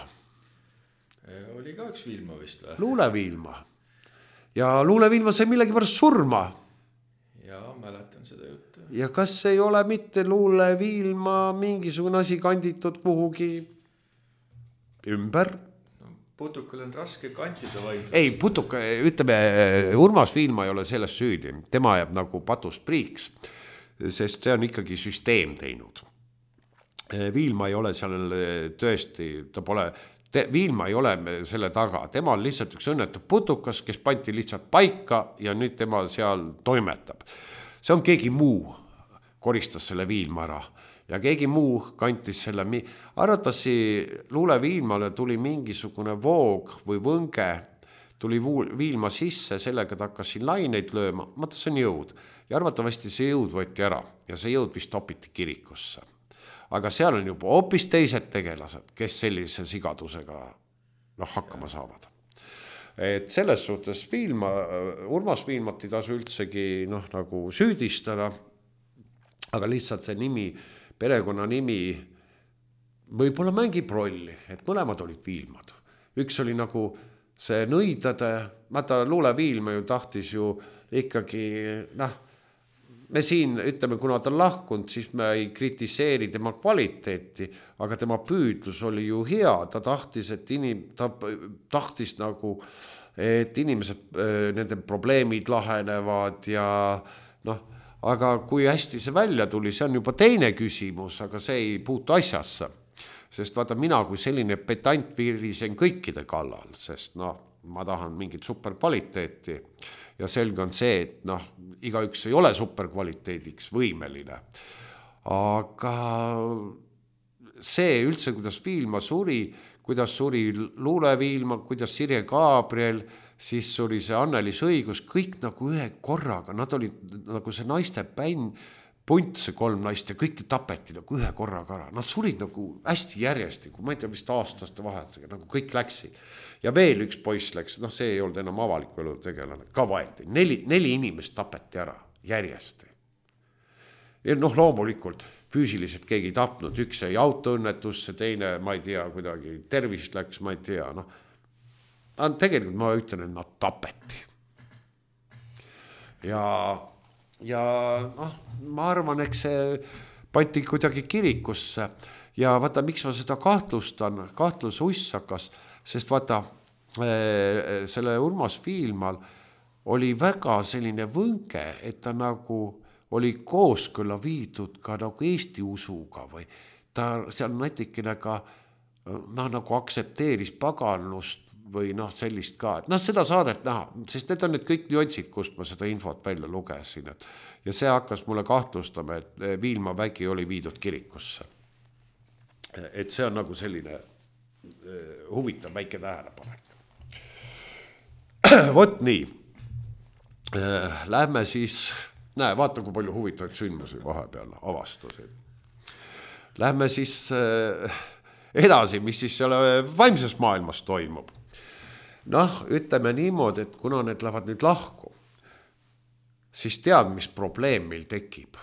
Oli ka üks Viilma vist või? Luule Viilma. Ja Luule Viilma sai millegi pärast surma. Ja mäletan seda juttu. Ja kas ei ole mitte Luule Viilma mingisugune asi kanditud kuhugi ümber? Putukal on raske kantida vaimsust. Ei, putuka, ütleme, Urmas Viilma ei ole selles süüdi. Tema jääb nagu patust priiks, sest see on ikkagi süsteem teinud. Viilma ei ole seal tõesti, Viilma ei ole selle taga, tema on lihtsalt üks õnnetu putukas, kes pandi lihtsalt paika ja nüüd tema seal toimetab. See on keegi muu, koristas selle Viilma ära ja keegi muu kantis selle, arvatasi Luule Viilmale tuli mingisugune voog või võnge, tuli Viilma sisse, sellega ta hakkas siin laineid lööma, mõtta see on jõud ja arvatavasti see jõud võeti ära ja see jõud vist topiti kirikusse. Aga seal on juba hoopis teised tegelased, kes sellise sigadusega hakkama saavad. Et selles suhtes Urmas Viilmat ei tasu üldsegi nagu süüdistada, aga lihtsalt see nimi, perekonna nimi võib-olla mängib rolli, et mõlemad olid Viilmad. Üks oli nagu see nõidade, vaata Luule Viilma ju tahtis ju ikkagi, me siin ütleme, kuna ta lahkunud, siis me ei kritiseeri tema kvaliteeti, aga tema püüdlus oli ju hea, ta tahtis, ta tahtis nagu, et inimesed, nende probleemid lahenevad ja noh, aga kui hästi see välja tuli, see on juba teine küsimus, aga see ei puutu asjasse. Sest vaata, mina kui selline petant virisen kõikide kallal, sest ma tahan mingit superkvaliteeti ja selge on see, et igaüks ei ole superkvaliteediks võimeline. Aga see üldse, kuidas Viilma suri, kuidas suri Luule Viilma, kuidas Sirje Gabriel, siis suri see Annelis Õigus, kõik nagu ühe korraga, nad olid nagu see naiste bänd, punt see 3 naist ja kõik tapeti nagu ühe korraga ära. Nad surid nagu hästi järjestikku, ma ei tea, vist aastaste vahetusega, nagu kõik läksid. Ja veel üks poiss läks, see ei olnud enam avaliku elu tegelane, ka vaeti. 4 inimest tapeti ära järjesti. Ja loomulikult füüsiliselt keegi tapnud, üks jäi autoõnnetusse, teine, ma ei tea, kuidagi tervist läks, ma ei tea. Tegelikult ma ütlen, et nad tapeti. Ja ma arvan, eks see pandi kuidagi kirikusse ja vaata, miks ma seda kahtlustan, kahtlus ussakas, sest vaata, selle Urmas Viilmal oli väga selline võnge, et ta nagu oli kooskõlla viidud ka nagu Eesti usuga või ta seal natikene ka nagu aktsepteeris paganlust või sellist ka, et seda saadet näha, sest need on need kõik nüansid, kust ma seda infot välja lugesin, ja see hakkas mulle kahtlustama, et Viilma vägi oli viidud kirikusse. Et see on nagu selline huvitav väike tähelepanek. Vot nii. Lähme siis, vaata kui palju huvitavaid sündmusi vahepeal avastusid. Lähme siis edasi, mis siis selle vaimses maailmas toimub. Ütleme niimoodi, et kuna need lähevad nüüd lahku, siis tead, mis probleem meil tekib.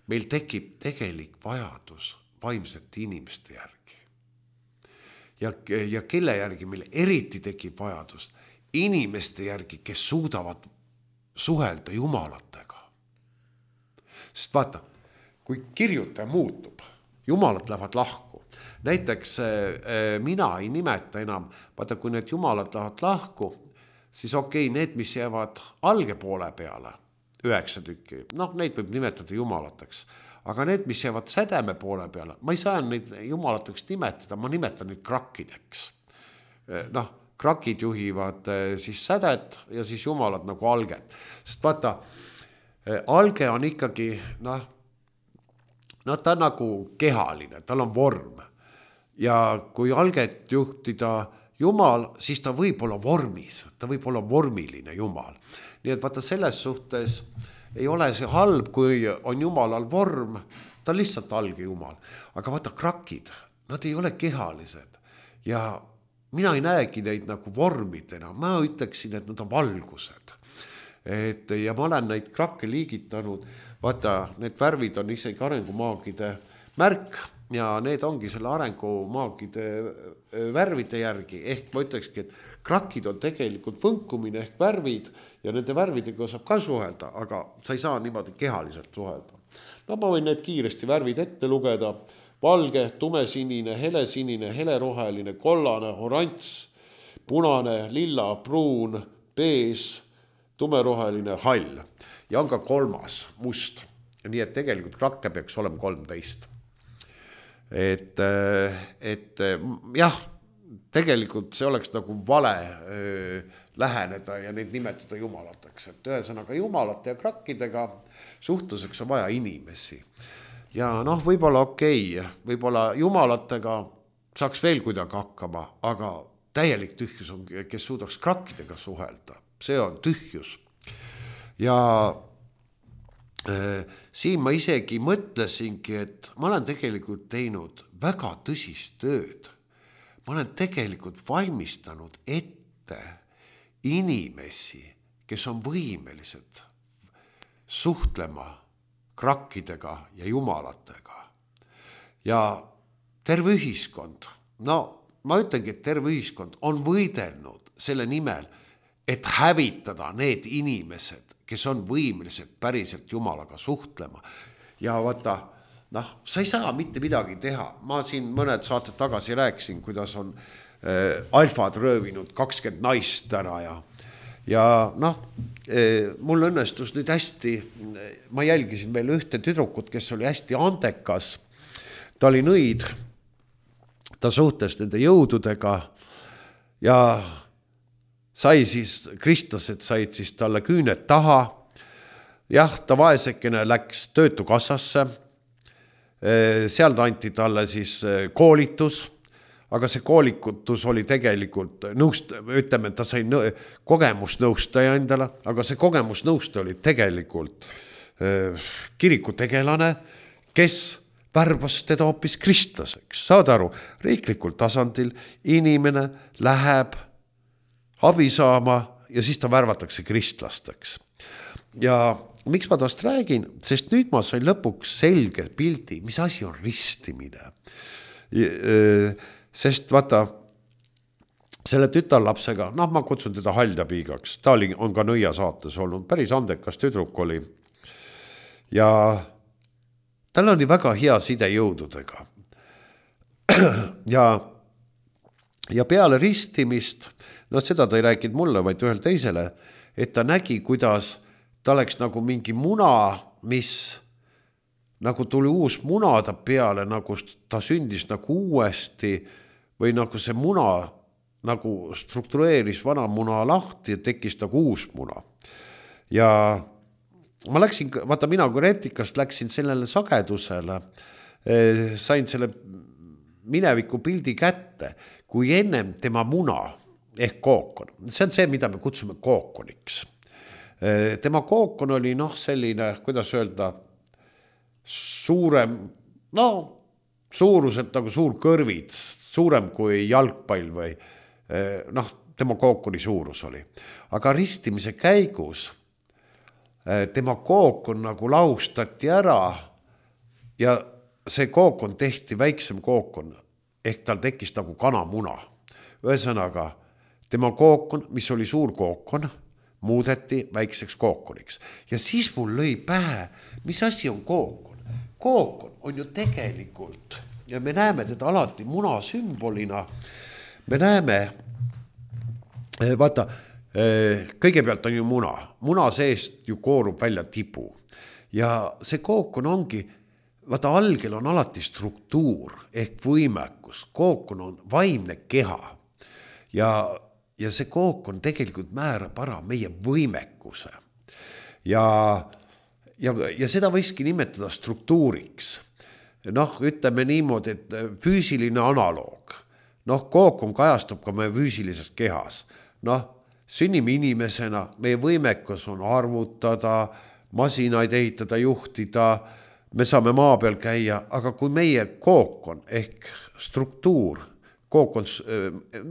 Meil tekib tegelik vajadus vaimsete inimeste järgi. Ja kelle järgi meil eriti tekib vajadus? Inimeste järgi, kes suudavad suhelda jumalatega. Sest vaata, kui kirjutaja muutub, jumalad lähevad lahku. Näiteks mina ei nimeta enam, vaata kui need jumalad lähevad lahku, siis okei, need, mis jäävad alge poole peale, 9 tükki, neid võib nimetada jumalateks, aga need, mis jäävad sädeme poole peale, ma ei saa neid jumalateks nimetada, ma nimetan neid krakkideks. Krakid juhivad siis sädet ja siis jumalad nagu alget. Sest vaata, alge on ikkagi, ta on nagu kehaline, tal on vorm. Ja kui alget juhtida jumal, siis ta võib olla vormis, ta võib olla vormiline jumal. Nii et vaata selles suhtes ei ole see halb, kui on jumalal vorm, ta on lihtsalt alge jumal. Aga vaata krakid, nad ei ole kehalised ja mina ei näegi neid nagu vormidena, ma ütleksin, et nad on valgused. Ja ma olen neid krakke liigitanud, vaata need värvid on isegi arengumaagide märk, ja need ongi selle arengumaagide värvide järgi, ehk ma ütlekski, et krakid on tegelikult võnkumine ehk värvid ja nende värvidega saab ka suhelda, aga sa ei saa niimoodi kehaliselt suhelda. Ma võin need kiiresti värvid ette lugeda, valge, tumesinine, helesinine, heleroheline, kollane, oranž, punane, lilla, pruun, bees, tumeroheline, hall ja on ka 3, must. Nii et tegelikult krakke peaks olema 13. Et jah, tegelikult see oleks nagu vale läheneda ja neid nimetada jumalateks. Et ühesõnaga jumalate ja krakkidega suhtluseks on vaja inimesi. Ja võib-olla võib-olla jumalatega saaks veel kuidagi hakkama, aga täielik tühjus on, kes suudaks krakkidega suhelda. See on tühjus. Ja siin ma isegi mõtlesingi, et ma olen tegelikult teinud väga tõsist tööd. Ma olen tegelikult valmistanud ette inimesi, kes on võimelised suhtlema krakkidega ja jumalatega. Ja terve ühiskond, ma ütlengi, et terve ühiskond on võidelnud selle nimel, et hävitada need inimesed, kes on võimelised päriselt Jumalaga suhtlema. Ja vaata, sa ei saa mitte midagi teha. Ma siin mõned saated tagasi rääkisin, kuidas on alfad röövinud 20 naist ära ja mul õnnestus nüüd hästi, ma jälgisin veel ühte tüdrukut, kes oli hästi andekas. Ta oli nõid, ta suhtes nende jõududega ja sai siis, kristlased said siis talle küüned taha. Jah, ta vaesekene läks töötukassasse, seal ta anti talle siis koolitus, aga see koolitus oli tegelikult ütleme, et ta sai kogemusnõustaja endale, aga see kogemusnõustaja oli tegelikult kirikutegelane, kes värbas teda hoopis kristlaseks. Saad aru, riiklikul tasandil inimene läheb abi saama ja siis ta värvatakse kristlasteks. Ja miks ma tast räägin? Sest nüüd ma sain lõpuks selge pildi, mis asi on ristimine. Sest vaata, selle tütarlapsega, ma kutsun teda Haljapiigaks, ta on ka Nõia saates olnud, päris andekas tüdruk oli. Ja tal oli väga hea side jõududega. Ja peale ristimist, seda ta ei rääkinud mulle, vaid ühel teisele, et ta nägi, kuidas ta oleks nagu mingi muna, mis nagu tuli uus muna ta peale, nagu ta sündis nagu uuesti või nagu see muna nagu struktureeris vana muna lahti ja tekkis nagu uus muna. Ja ma läksin, vaata mina kui reptikast läksin sellele sagedusele, sain selle mineviku pildi kätte, kui ennem tema muna ehk kookon. See on see, mida me kutsume kookoniks. Tema kookon oli selline, kuidas öelda, suurem, suuruselt nagu suur kõrvits, suurem kui jalgpall või tema kookoni suurus oli. Aga ristimise käigus tema kookon nagu laustati ära ja see kookon tehti väiksem kookon, ehk tal tekkis nagu kanamuna. Ühesõnaga, tema kookon, mis oli suur kookon, muudeti väikseks kookoniks. Ja siis mul lõi pähe, mis asi on kookon? Kookon on ju tegelikult, ja me näeme teda alati muna sümbolina, me näeme, vaata, kõigepealt on ju muna. Muna seest ju koorub välja tibu. Ja see kookon ongi, vaata algel on alati struktuur ehk võimekus. Kookon on vaimne keha. Ja see kookon tegelikult määrab ära meie võimekuse. Ja seda võiski nimetada struktuuriks. Ütleme niimoodi, et füüsiline analoog. Kookon kajastub ka meie füüsilises kehas. Sünnime inimesena, meie võimekus on arvutada, masinaid ehitada, juhtida, me saame maa peal käia, aga kui meie kookon ehk struktuur, kookon,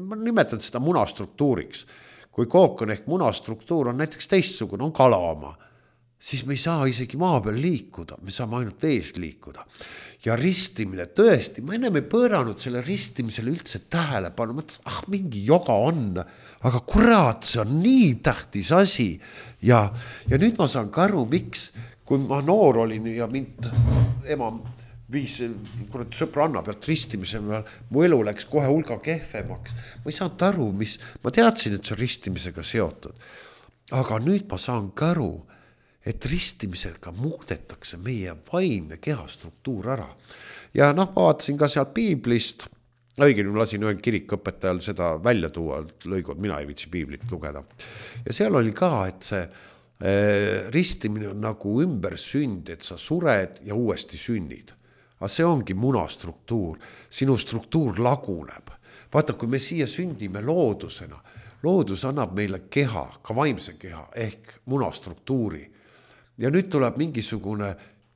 ma nimetan seda munastruktuuriks, kui kookon ehk munastruktuur on näiteks teistsugune, on kalaoma, siis me ei saa isegi maa peal liikuda, me saame ainult vees liikuda. Ja ristimine tõesti, ma ennem ei pööranud selle ristimisele üldse tähelepanu, mõtlesin, mingi joga on, aga kurat, see on nii tähtis asi. Ja nüüd ma saan ka aru, miks, kui ma noor olin ja mind ema viis sõbranna pealt ristimise peal, mu elu läks kohe hulga kehvemaks. Ma ei saanud aru, ma teadsin, et see on ristimisega seotud. Aga nüüd ma saan ka aru, et ristimisega muudetakse meie vaimne kehastruktuur ära. Ja ma vaatasin ka seal piiblist, õigemini lasin ühe kirikõpetajal seda välja tuua, lõigud, mina ei viitsi piiblit lugeda. Ja seal oli ka, et see ristimine on nagu ümber sünd, et sa sured ja uuesti sünnid. Aga see ongi munastruktuur, sinu struktuur laguneb. Vaata, kui me siia sündime loodusena, loodus annab meile keha, ka vaimse keha, ehk munastruktuuri. Ja nüüd tuleb mingisugune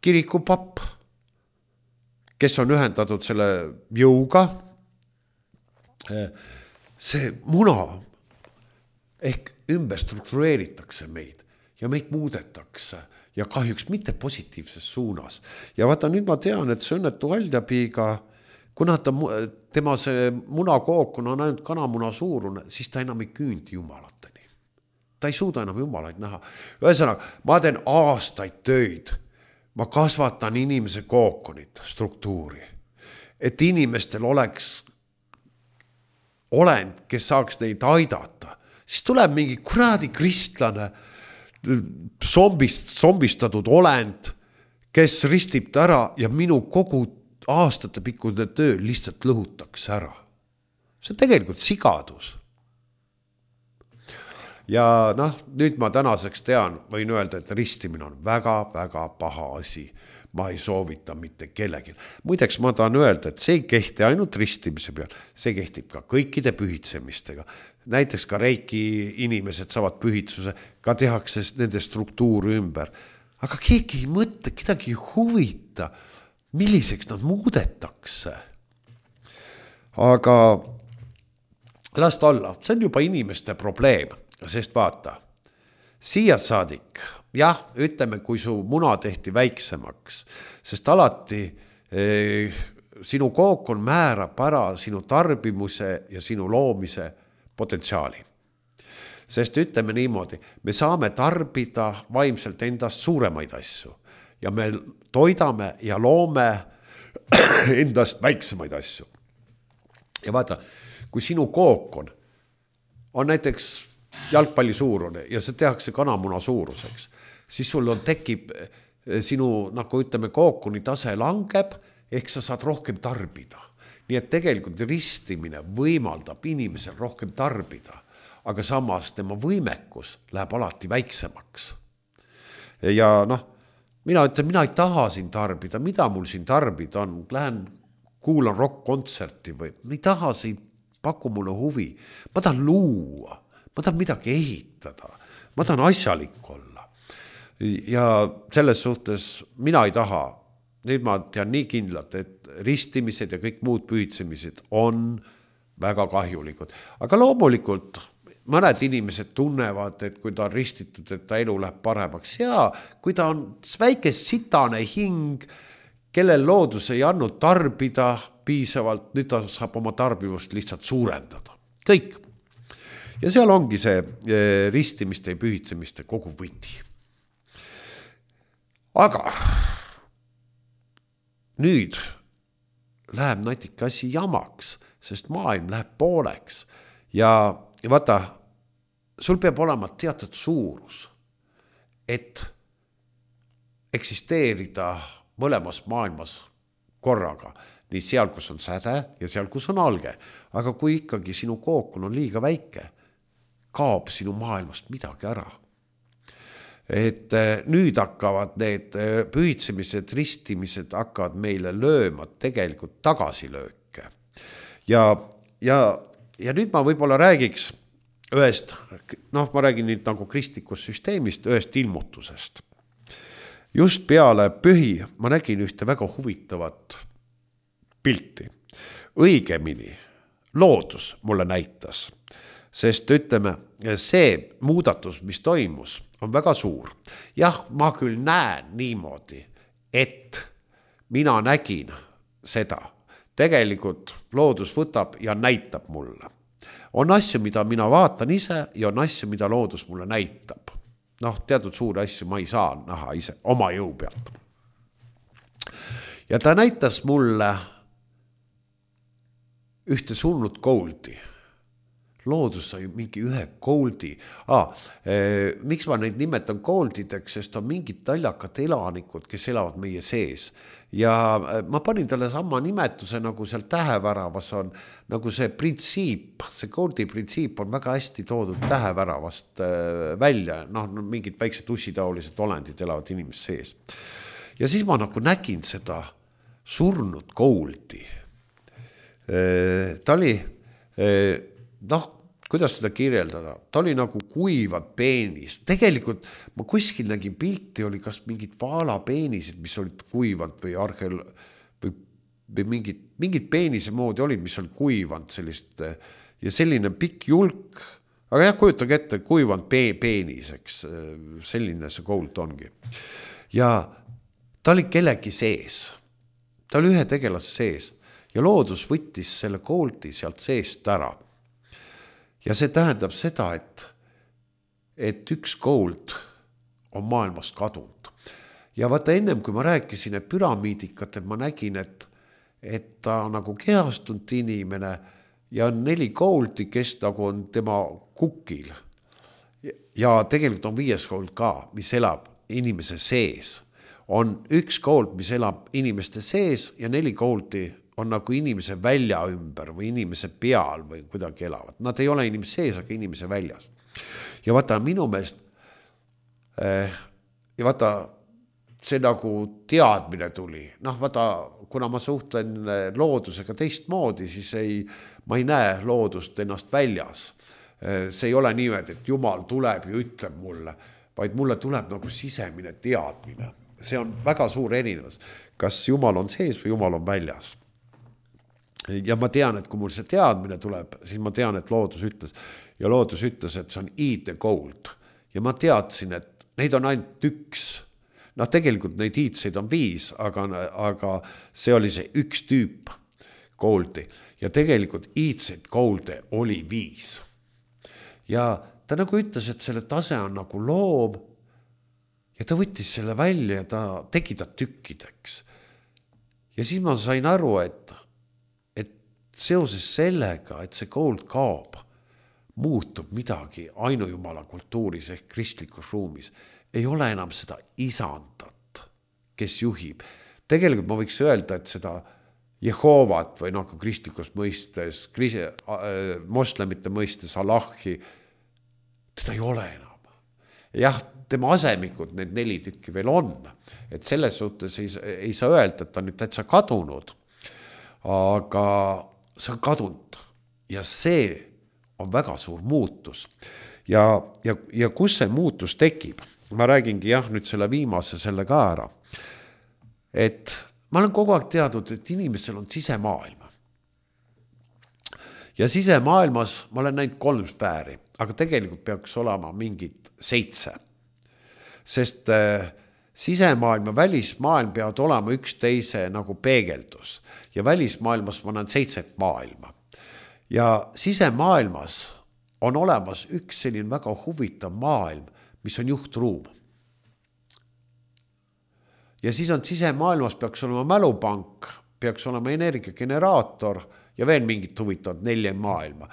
kirikupapp, kes on ühendatud selle jõuga. See muna ehk ümber struktureeritakse meid ja meid muudetakse ja kahjuks mitte positiivses suunas. Ja vaata, nüüd ma tean, et see õnnetu Haljapiiga, kuna tema see munakookon on ainult kanamuna suurune, siis ta enam ei küündi jumalateni. ta ei suuda enam jumalaid näha. Ühesõnaga, ma teen aastaid töid, ma kasvatan inimese kookonit, struktuuri, et inimestel oleks olend, kes saaks neid aidata. Siis tuleb mingi kuradi kristlane, zombistatud olend, kes ristib ta ära ja minu kogu aastate pikkune töö lihtsalt lõhutakse ära. See on tegelikult sigadus. Ja nüüd ma tänaseks tean, võin öelda, et ristimine on väga-väga paha asi. Ma ei soovita mitte kellelgi. Muideks ma tahan öelda, et see ei kehti ainult ristimise peal, see kehtib ka kõikide pühitsemistega. Näiteks ka reiki inimesed saavad pühitsuse, ka tehakse nende struktuuri ümber. Aga keegi ei mõtle, kedagi ei huvita, milliseks nad muudetakse. Aga las ta olla, see on juba inimeste probleem, sest vaata, siia saadik, jah, ütleme, kui su muna tehti väiksemaks, sest alati sinu kookon määrab ära sinu tarbimuse ja sinu loomise potentsiaali. Sest ütleme niimoodi, me saame tarbida vaimselt endast suuremaid asju ja me toidame ja loome endast väiksemaid asju. Ja vaata, kui sinu kookon on näiteks jalgpalli suurune ja see tehakse kanamuna suuruseks, siis sul tekib sinu, nagu ütleme, kookoni tase langeb, ehk sa saad rohkem tarbida. Nii et tegelikult ristimine võimaldab inimesel rohkem tarbida, aga samas tema võimekus läheb alati väiksemaks. Ja mina ütlen, mina ei taha siin tarbida, mida mul siin tarbida on, lähen kuulan rock-kontserti või ei taha siin, paku mulle huvi, ma tahan luua, ma tahan midagi ehitada, ma tahan asjalik olla. Ja selles suhtes mina ei taha, nüüd ma tean nii kindlalt, et ristimised ja kõik muud pühitsemised on väga kahjulikud. Aga loomulikult mõned inimesed tunnevad, et kui ta on ristitud, et ta elu läheb paremaks. Ja kui ta on väike sitane hing, kellel loodus ei andnud tarbida piisavalt, nüüd ta saab oma tarbivust lihtsalt suurendada. Kõik. Ja seal ongi see ristimiste ja pühitsemiste kogu võti. Aga nüüd läheb natuke asi jamaks, sest maailm läheb pooleks. Ja vaata, sul peab olema teatud suurus, et eksisteerida mõlemas maailmas korraga, nii seal, kus on säde ja seal, kus on alge. Aga kui ikkagi sinu kookon on liiga väike, kaob sinu maailmast midagi ära. Et nüüd hakkavad need pühitsemised, ristimised hakkavad meile lööma tegelikult tagasilööke. Ja nüüd ma võib-olla räägiks ühest, ma räägin nüüd nagu kristlikust süsteemist, ühest ilmutusest. Just peale pühi ma nägin ühte väga huvitavat pilti. Õigemini loodus mulle näitas, sest ütleme, see muudatus, mis toimus, on väga suur. Jah, ma küll näen niimoodi, et mina nägin seda. Tegelikult loodus võtab ja näitab mulle. On asju, mida mina vaatan ise ja on asju, mida loodus mulle näitab. Teatud suuri asju ma ei saa näha ise oma jõu pealt. Ja ta näitas mulle ühte surnud kouldi. Loodus sai mingi ühe kooldi. Miks ma neid nimetan kooldideks, sest on mingid taljakad elanikud, kes elavad meie sees. Ja ma panin talle sama nimetuse, nagu seal täheväravas on, nagu see printsiip, see kooldi printsiip on väga hästi toodud täheväravast välja. Mingid väiksed ussitaolised olendid elavad inimest sees. Ja siis ma nagu nägin seda surnud kooldi. Ta oli, kuidas seda kirjeldada? Ta oli nagu kuivad peenis. Tegelikult ma kuskil nägin pilti, oli kas mingid vaalapeenisid, mis olid kuivanud või mingid peenise moodi olid, mis olid kuivanud sellist ja selline pikk julk. Aga jah, kujutage ette, kuivanud peeniseks, selline see koult ongi. Ja ta oli kellegi sees. Ta oli ühe tegelase sees ja loodus võttis selle koolti sealt seest ära. Ja see tähendab seda, et üks kould on maailmast kadunud. Ja vaata ennem, kui ma rääkisin, et püramiidikatel ma nägin, et ta nagu kehastunud inimene ja on 4 kouldi, kes nagu on tema kukil. Ja tegelikult on 5 kould ka, mis elab inimese sees. On üks kould, mis elab inimeste sees ja 4 kouldi on nagu inimese välja ümber või inimese peal või kuidagi elavad. Nad ei ole inimese sees, aga inimese väljas. Ja vaata minu meelest, ja vaata see nagu teadmine tuli. Vaata, kuna ma suhtlen loodusega teistmoodi, siis ma ei näe loodust ennast väljas. See ei ole niimoodi, et Jumal tuleb ja ütleb mulle, vaid mulle tuleb nagu sisemine teadmine. See on väga suur erinevus. Kas Jumal on sees või Jumal on väljas? Ja ma tean, et kui mul see teadmine tuleb, siis ma tean, et loodus ütles. Ja loodus ütles, et see on eat the gold. Ja ma teadsin, et neid on ainult 1. Tegelikult neid eatseid on 5, aga see oli see üks tüüp goldi. Ja tegelikult eatseid golde oli 5. Ja ta nagu ütles, et selle tase on nagu loom. Ja ta võttis selle välja ja ta tegi ta tükkideks. Ja siis ma sain aru, et seoses sellega, et see gold kaob, muutub midagi ainujumala kultuuris ehk kristlikus ruumis. Ei ole enam seda isandat, kes juhib. Tegelikult ma võiks öelda, et seda Jehovat või kristlikus mõistes, moslemite mõistes Allahi, teda ei ole enam. Jah, tema asemikud, need 4 tükki veel on. Et selles suhtes ei saa öelda, et ta nüüd täitsa kadunud. Aga see on kadunud ja see on väga suur muutus. Ja kus see muutus tekib? Ma räägingi nüüd selle viimase selle ka ära. Et ma olen kogu aeg teadnud, et inimesel on sisemaailm. Ja sisemaailmas ma olen näinud 3 sfääri, aga tegelikult peaks olema mingid 7. Sest sisemaailm ja välismaailm peavad olema üksteise nagu peegeldus. Ja välismaailmas ma näen 7 maailma. Ja sisemaailmas on olemas üks selline väga huvitav maailm, mis on juhtruum. Ja siis on sisemaailmas peaks olema mälupank, peaks olema energiageneraator ja veel mingit huvitavat 4 maailma.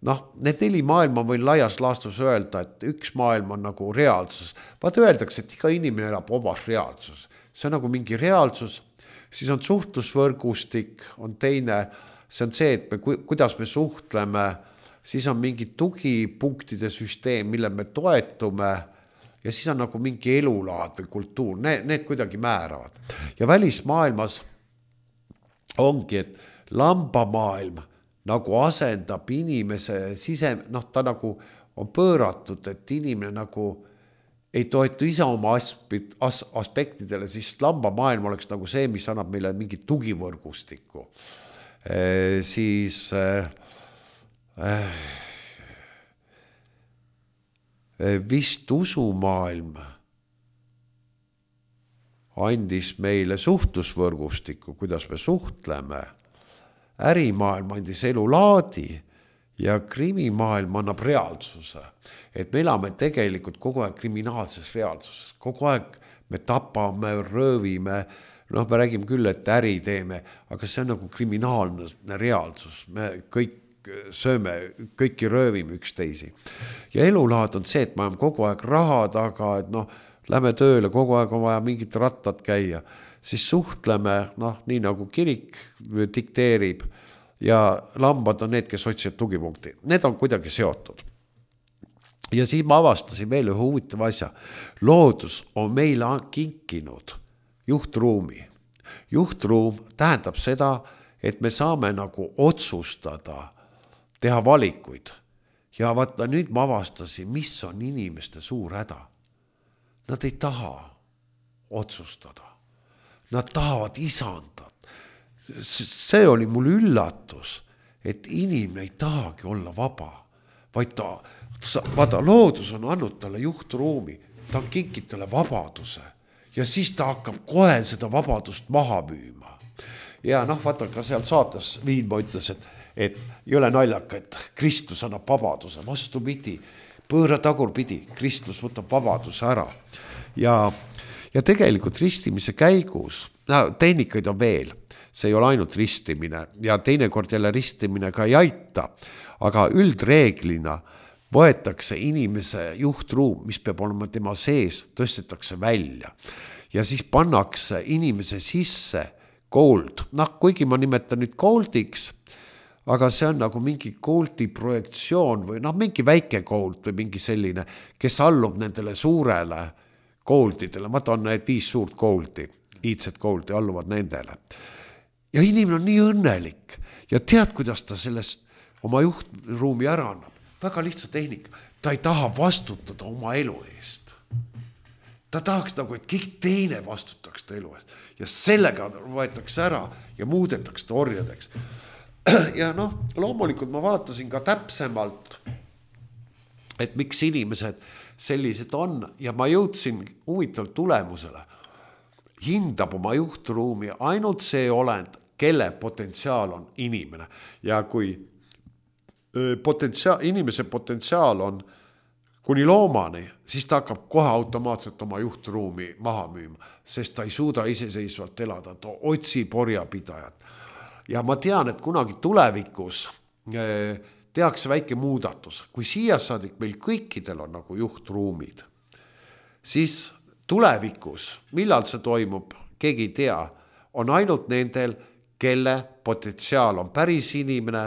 Need 4 maailma võin laias laastus öelda, et üks maailm on nagu reaalsus. Vaata öeldakse, et iga inimene elab omas reaalsus. See on nagu mingi reaalsus. Siis on suhtlusvõrgustik, on teine. See on see, et kuidas me suhtleme. Siis on mingi tugipunktide süsteem, mille me toetume. Ja siis on nagu mingi elulaad või kultuur. Need kuidagi määravad. Ja välismaailmas ongi, et lambamaailm nagu asendab inimese ta nagu on pööratud, et inimene nagu ei toetu ise oma aspektidele, siis lambamaailm oleks nagu see, mis annab meile mingi tugivõrgustiku. Siis vist usumaailm andis meile suhtlusvõrgustiku, kuidas me suhtleme. Ärimaailm andis elulaadi ja krimimaailm annab reaalsuse. Et me elame tegelikult kogu aeg kriminaalses reaalsuses. Kogu aeg me tapame, röövime, me räägime küll, et äri teeme, aga see on nagu kriminaalne reaalsus. Me kõik sööme, kõiki röövime üksteisi. Ja elulaad on see, et me oleme kogu aeg raha taga, et lähme tööle, kogu aeg on vaja mingit rattad käia. Siis suhtleme, nii nagu kirik dikteerib ja lambad on need, kes otsivad tugipunkti. Need on kuidagi seotud. Ja siis ma avastasin veel ühe huvitava asja. Loodus on meile kinkinud juhtruumi. Juhtruum tähendab seda, et me saame nagu otsustada, teha valikuid. Ja vaata, nüüd ma avastasin, mis on inimeste suur häda. Nad ei taha otsustada. Nad tahavad isandat. See oli mul üllatus, et inimene ei tahagi olla vaba, vaid vaata, loodus on andnud talle juhtruumi, ta on kinkid talle vabaduse ja siis ta hakkab kohe seda vabadust maha müüma. Ja vaata, ka seal saates Viinma ütles, et ei ole naljaka, et Kristus annab vabaduse, vastupidi. pööra tagurpidi, kristlus võtab vabaduse ära ja tegelikult ristimise käigus, tehnikaid on veel, see ei ole ainult ristimine ja teinekord jälle ristimine ka ei aita, aga üldreeglina võetakse inimese juhtruum, mis peab olema tema sees, tõstetakse välja ja siis pannakse inimese sisse gold, kuigi ma nimetan nüüd goldiks, aga see on nagu mingi goldi projektsioon või mingi väike gold või mingi selline, kes allub nendele suurele goldidele, ma toon need 5 suurt goldi, iidset goldi alluvad nendele. Ja inimene on nii õnnelik ja tead, kuidas ta sellest oma juhtruumi ära annab. Väga lihtsa tehnika, ta ei taha vastutada oma elu eest. Ta tahaks nagu, et kõik teine vastutaks ta elu eest ja sellega võetakse ära ja muudetakse ta orjadeks. Ja loomulikult ma vaatasin ka täpsemalt, et miks inimesed sellised on ja ma jõudsin huvitavalt tulemusele. Hindab oma juhtruumi ainult see olend, kelle potentsiaal on inimene ja kui inimese potentsiaal on kuni loomani, siis ta hakkab kohe automaatselt oma juhtruumi maha müüma, sest ta ei suuda iseseisvalt elada, ta otsib orjapidajat. Ja ma tean, et kunagi tulevikus tehakse väike muudatus. Kui siia saadik meil kõikidel on nagu juhtruumid, siis tulevikus, millal see toimub, keegi ei tea, on ainult nendel, kelle potentsiaal on päris inimene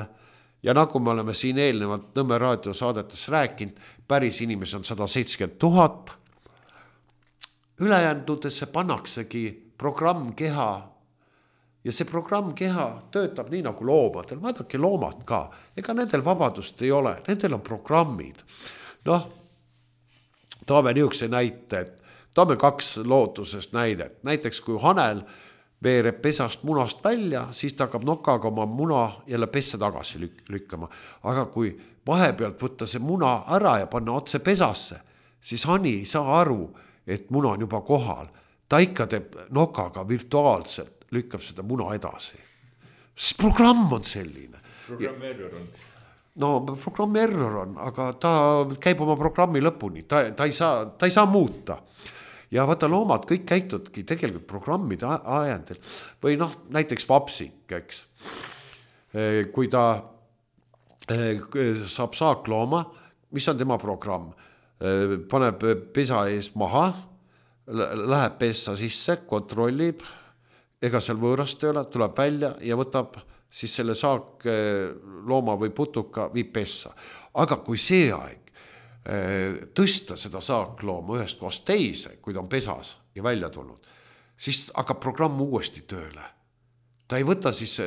ja nagu me oleme siin eelnevalt Nõmme raadiosaadetes rääkinud, päris inimesi on 170 000. Ülejäändudesse pannaksegi programmkeha ja see programmkeha töötab nii nagu loomadel. Vaadake loomad ka, ega nendel vabadust ei ole, nendel on programmid. Toome niisuguse näite, toome 2 loodusest näidet. Näiteks kui hanel veereb pesast munast välja, siis ta hakkab nokaga oma muna jälle pessa tagasi lükkama. Aga kui vahepealt võtta see muna ära ja panna otse pesasse, siis hani ei saa aru, et muna on juba kohal. Ta ikka teeb nokaga virtuaalselt, lükkab seda muna edasi. Sest programm on selline. Programm error on. Programm error on, aga ta käib oma programmi lõpuni, ta ei saa muuta. Ja vaata loomad kõik käitudki tegelikult programmide ajendil. Või näiteks vapsik, eks. Kui ta saab saaklooma, mis on tema programm? Paneb pesa ees maha, läheb pessa sisse, kontrollib, ega seal võõrast ei ole, tuleb välja ja võtab siis selle saak looma või putuka viib pessa. Aga kui see aeg tõsta seda saaklooma ühest kohast teise, kui ta on pesas ja välja tulnud, siis hakkab programm uuesti tööle. Ta ei võta siis,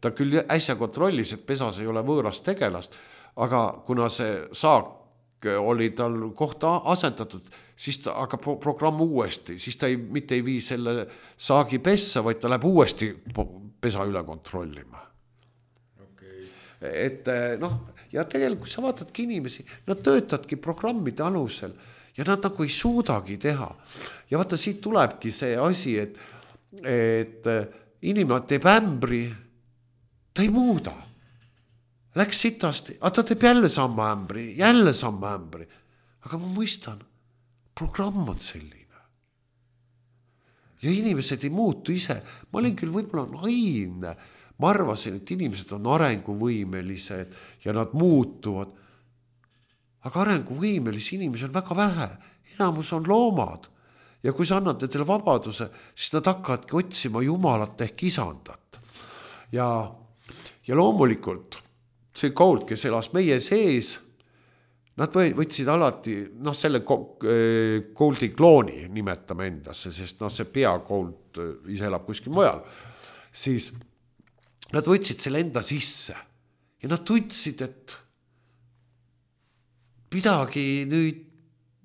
ta küll äsja kontrollis, et pesas ei ole võõrast tegelast, aga kuna see saak oli tal kohta asendatud, siis ta hakkab programm uuesti, siis ta mitte ei vii selle saagi pessa, vaid ta läheb uuesti pesa üle kontrollima. Et ja tegelikult sa vaatadki inimesi, nad töötadki programmide alusel ja nad nagu ei suudagi teha. Ja vaata, siit tulebki see asi, et inimene teeb ämbri, ta ei muuda. Läks sitasti, aga ta teeb jälle samma ämbri. Aga ma mõistan, programm on selline. Ja inimesed ei muutu ise. Ma olin küll võib-olla naivne. Ma arvasin, et inimesed on arenguvõimelised ja nad muutuvad. Aga arenguvõimelisi inimesi on väga vähe. Enamus on loomad. Ja kui sa annad nendele vabaduse, siis nad hakkavadki otsima Jumalat ehk isandat. Ja loomulikult see kould, kes elas meie sees, nad võtsid alati, selle kouldi klooni nimetame endasse, sest see peakould ise elab kuskil mujal, siis nad võtsid selle enda sisse ja nad tundsid, et midagi nüüd,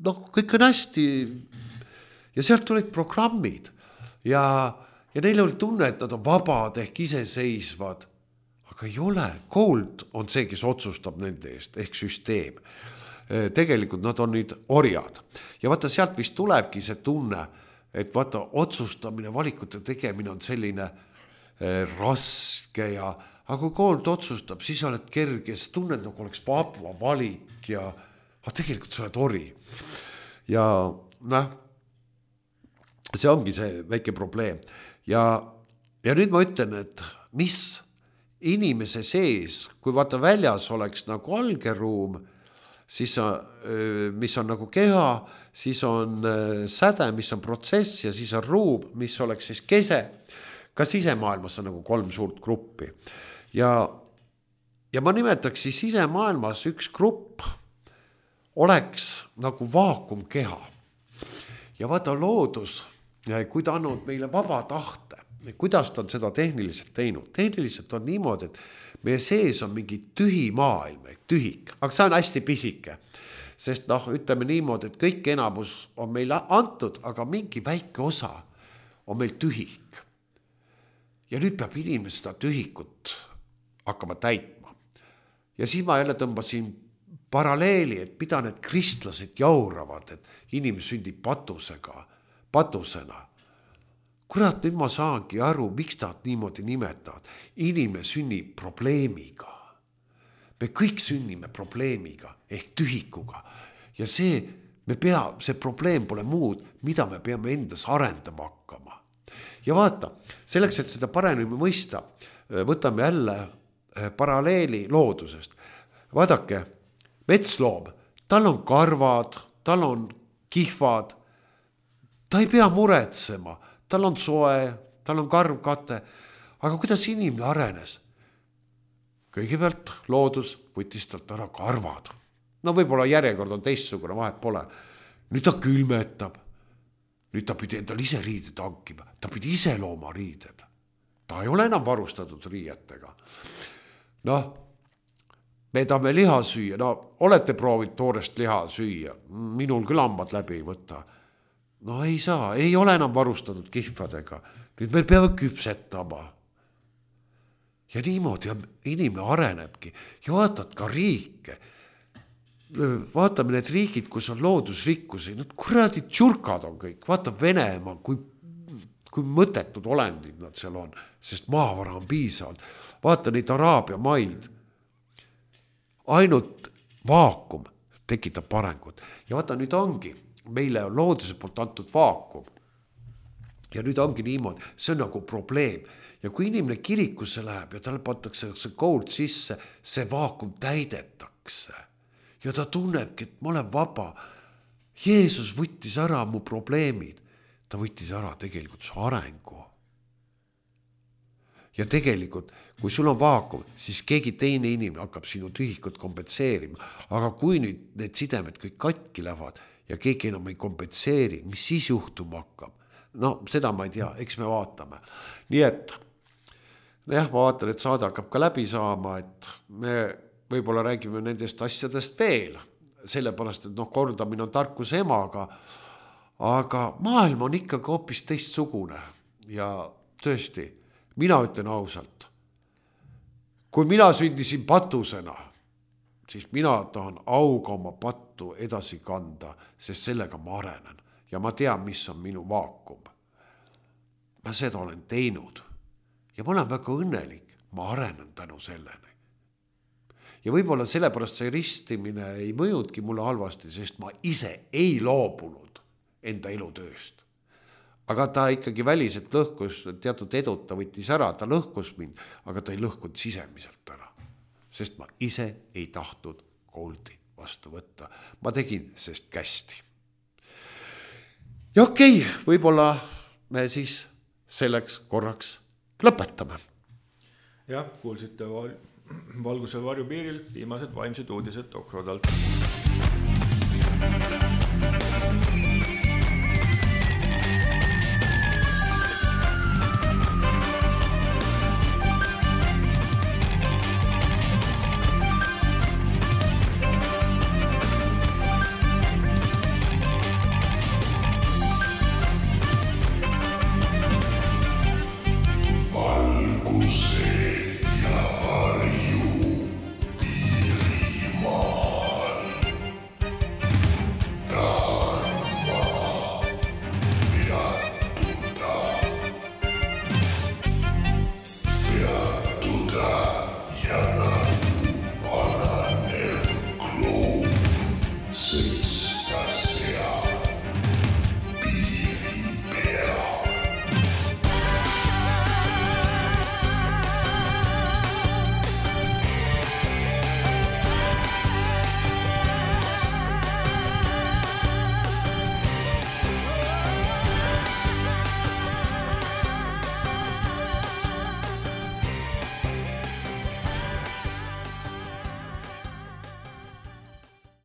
kõik on hästi ja sealt tulid programmid ja neil oli tunne, et nad on vabad ehk iseseisvad, aga ei ole, kould on see, kes otsustab nende eest ehk süsteem. Tegelikult nad on nüüd orjad ja vaata sealt vist tulebki see tunne, et vaata otsustamine, valikute tegemine on selline raske aga kui kould otsustab, siis oled kerge, sa tunned nagu oleks vaba valik ja aga tegelikult sa oled ori. Ja see ongi see väike probleem. Ja nüüd ma ütlen, et mis inimese sees, kui vaata väljas oleks nagu algeruum, siis mis on nagu keha, siis on säde, mis on protsess ja siis on ruum, mis oleks siis kese. Ka sisemaailmas on nagu 3 suurt gruppi. Ja ma nimetaks siis sisemaailmas üks grupp oleks nagu vaakumkeha. Ja vaata loodus, kui ta on meile vaba tahte, kuidas ta on seda tehniliselt teinud. Tehniliselt on niimoodi, et meie sees on mingi tühi maailm, tühik, aga see on hästi pisike. Sest ütleme niimoodi, et kõik enamus on meile antud, aga mingi väike osa on meil tühik. Ja nüüd peab inimene seda tühikut hakkama täitma. Ja siis ma jälle tõmbasin paralleeli, et mida need kristlased jauravad, et inimene sündib patusena. Kurat, nüüd ma saangi aru, miks ta niimoodi nimetavad. Inimene sünnib probleemiga. Me kõik sünnime probleemiga ehk tühikuga. Ja see probleem pole muud, mida me peame endas arendama hakkama. Ja vaata, selleks, et seda paremini mõista, võtame jälle paralleeli loodusest. Vaadake, metsloom, tal on karvad, tal on kihvad, ta ei pea muretsema, tal on soe, tal on karvkate, aga kuidas inimene arenes? Kõigepealt loodus võttis talt ära karvad. No võib-olla järjekord on teistsugune, vahet pole. Nüüd ta külmetab. Nüüd ta pidi endal ise riided hankima. Ta pidi ise looma riided. Ta ei ole enam varustatud riietega. Me tahame liha süüa. Olete proovinud toorest liha süüa. Minul küll hambad läbi ei võta. Ei saa. Ei ole enam varustatud kihvadega. Nüüd meil peavad küpsetama. Ja niimoodi inimene arenebki. Ja vaatad ka riike. Vaatame need riigid, kus on loodusrikkusi. Kuradi tšurkad on kõik. Vaata Venemaa, kui mõttetud olendid nad seal on. Sest maavara on piisavalt. Vaata neid Araabia maid. Ainult vaakum tekitab arengut. Ja vaata nüüd ongi. Meile on looduse poolt antud vaakum. Ja nüüd ongi niimoodi, see on nagu probleem. Ja kui inimene kirikusse läheb ja talle pantakse see kould sisse, see vaakum täidetakse. Ja ta tunnebki, et ma olen vaba. Jeesus võttis ära mu probleemid. Ta võttis ära tegelikult su arengu. Ja tegelikult, kui sul on vaakum, siis keegi teine inimene hakkab sinu tühikut kompetseerima. Aga kui nüüd need sidemed kõik katki lähevad ja keegi enam ei kompetseeri, mis siis juhtuma hakkab? Seda ma ei tea, eks me vaatame. Nii et, ma vaatan, et saade hakkab ka läbi saama, et me võib-olla räägime nendest asjadest veel, sellepärast, et kordamine on tarkuse emaga, aga maailm on ikkagi hoopis teistsugune ja tõesti, mina ütlen ausalt, kui mina sündisin patusena, siis mina tahan auga oma pattu edasi kanda, sest sellega ma arenen. Ja ma tean, mis on minu vaakum. Ma seda olen teinud. Ja ma olen väga õnnelik. Ma arenen tänu selleni. Ja võib-olla sellepärast see ristimine ei mõjudki mulle halvasti, sest ma ise ei loobunud enda elutööst. Aga ta ikkagi väliselt lõhkus, teatud edut ta võttis ära, ta lõhkus mind, aga ta ei lõhkunud sisemiselt ära. Sest ma ise ei tahtnud kooldi vastu võtta. Ma tegin sest kästi. Ja okei, võib-olla me siis selleks korraks lõpetame. Ja, kuulsite Valguse varjupiiril viimased vaimsed uudised Okrodalt.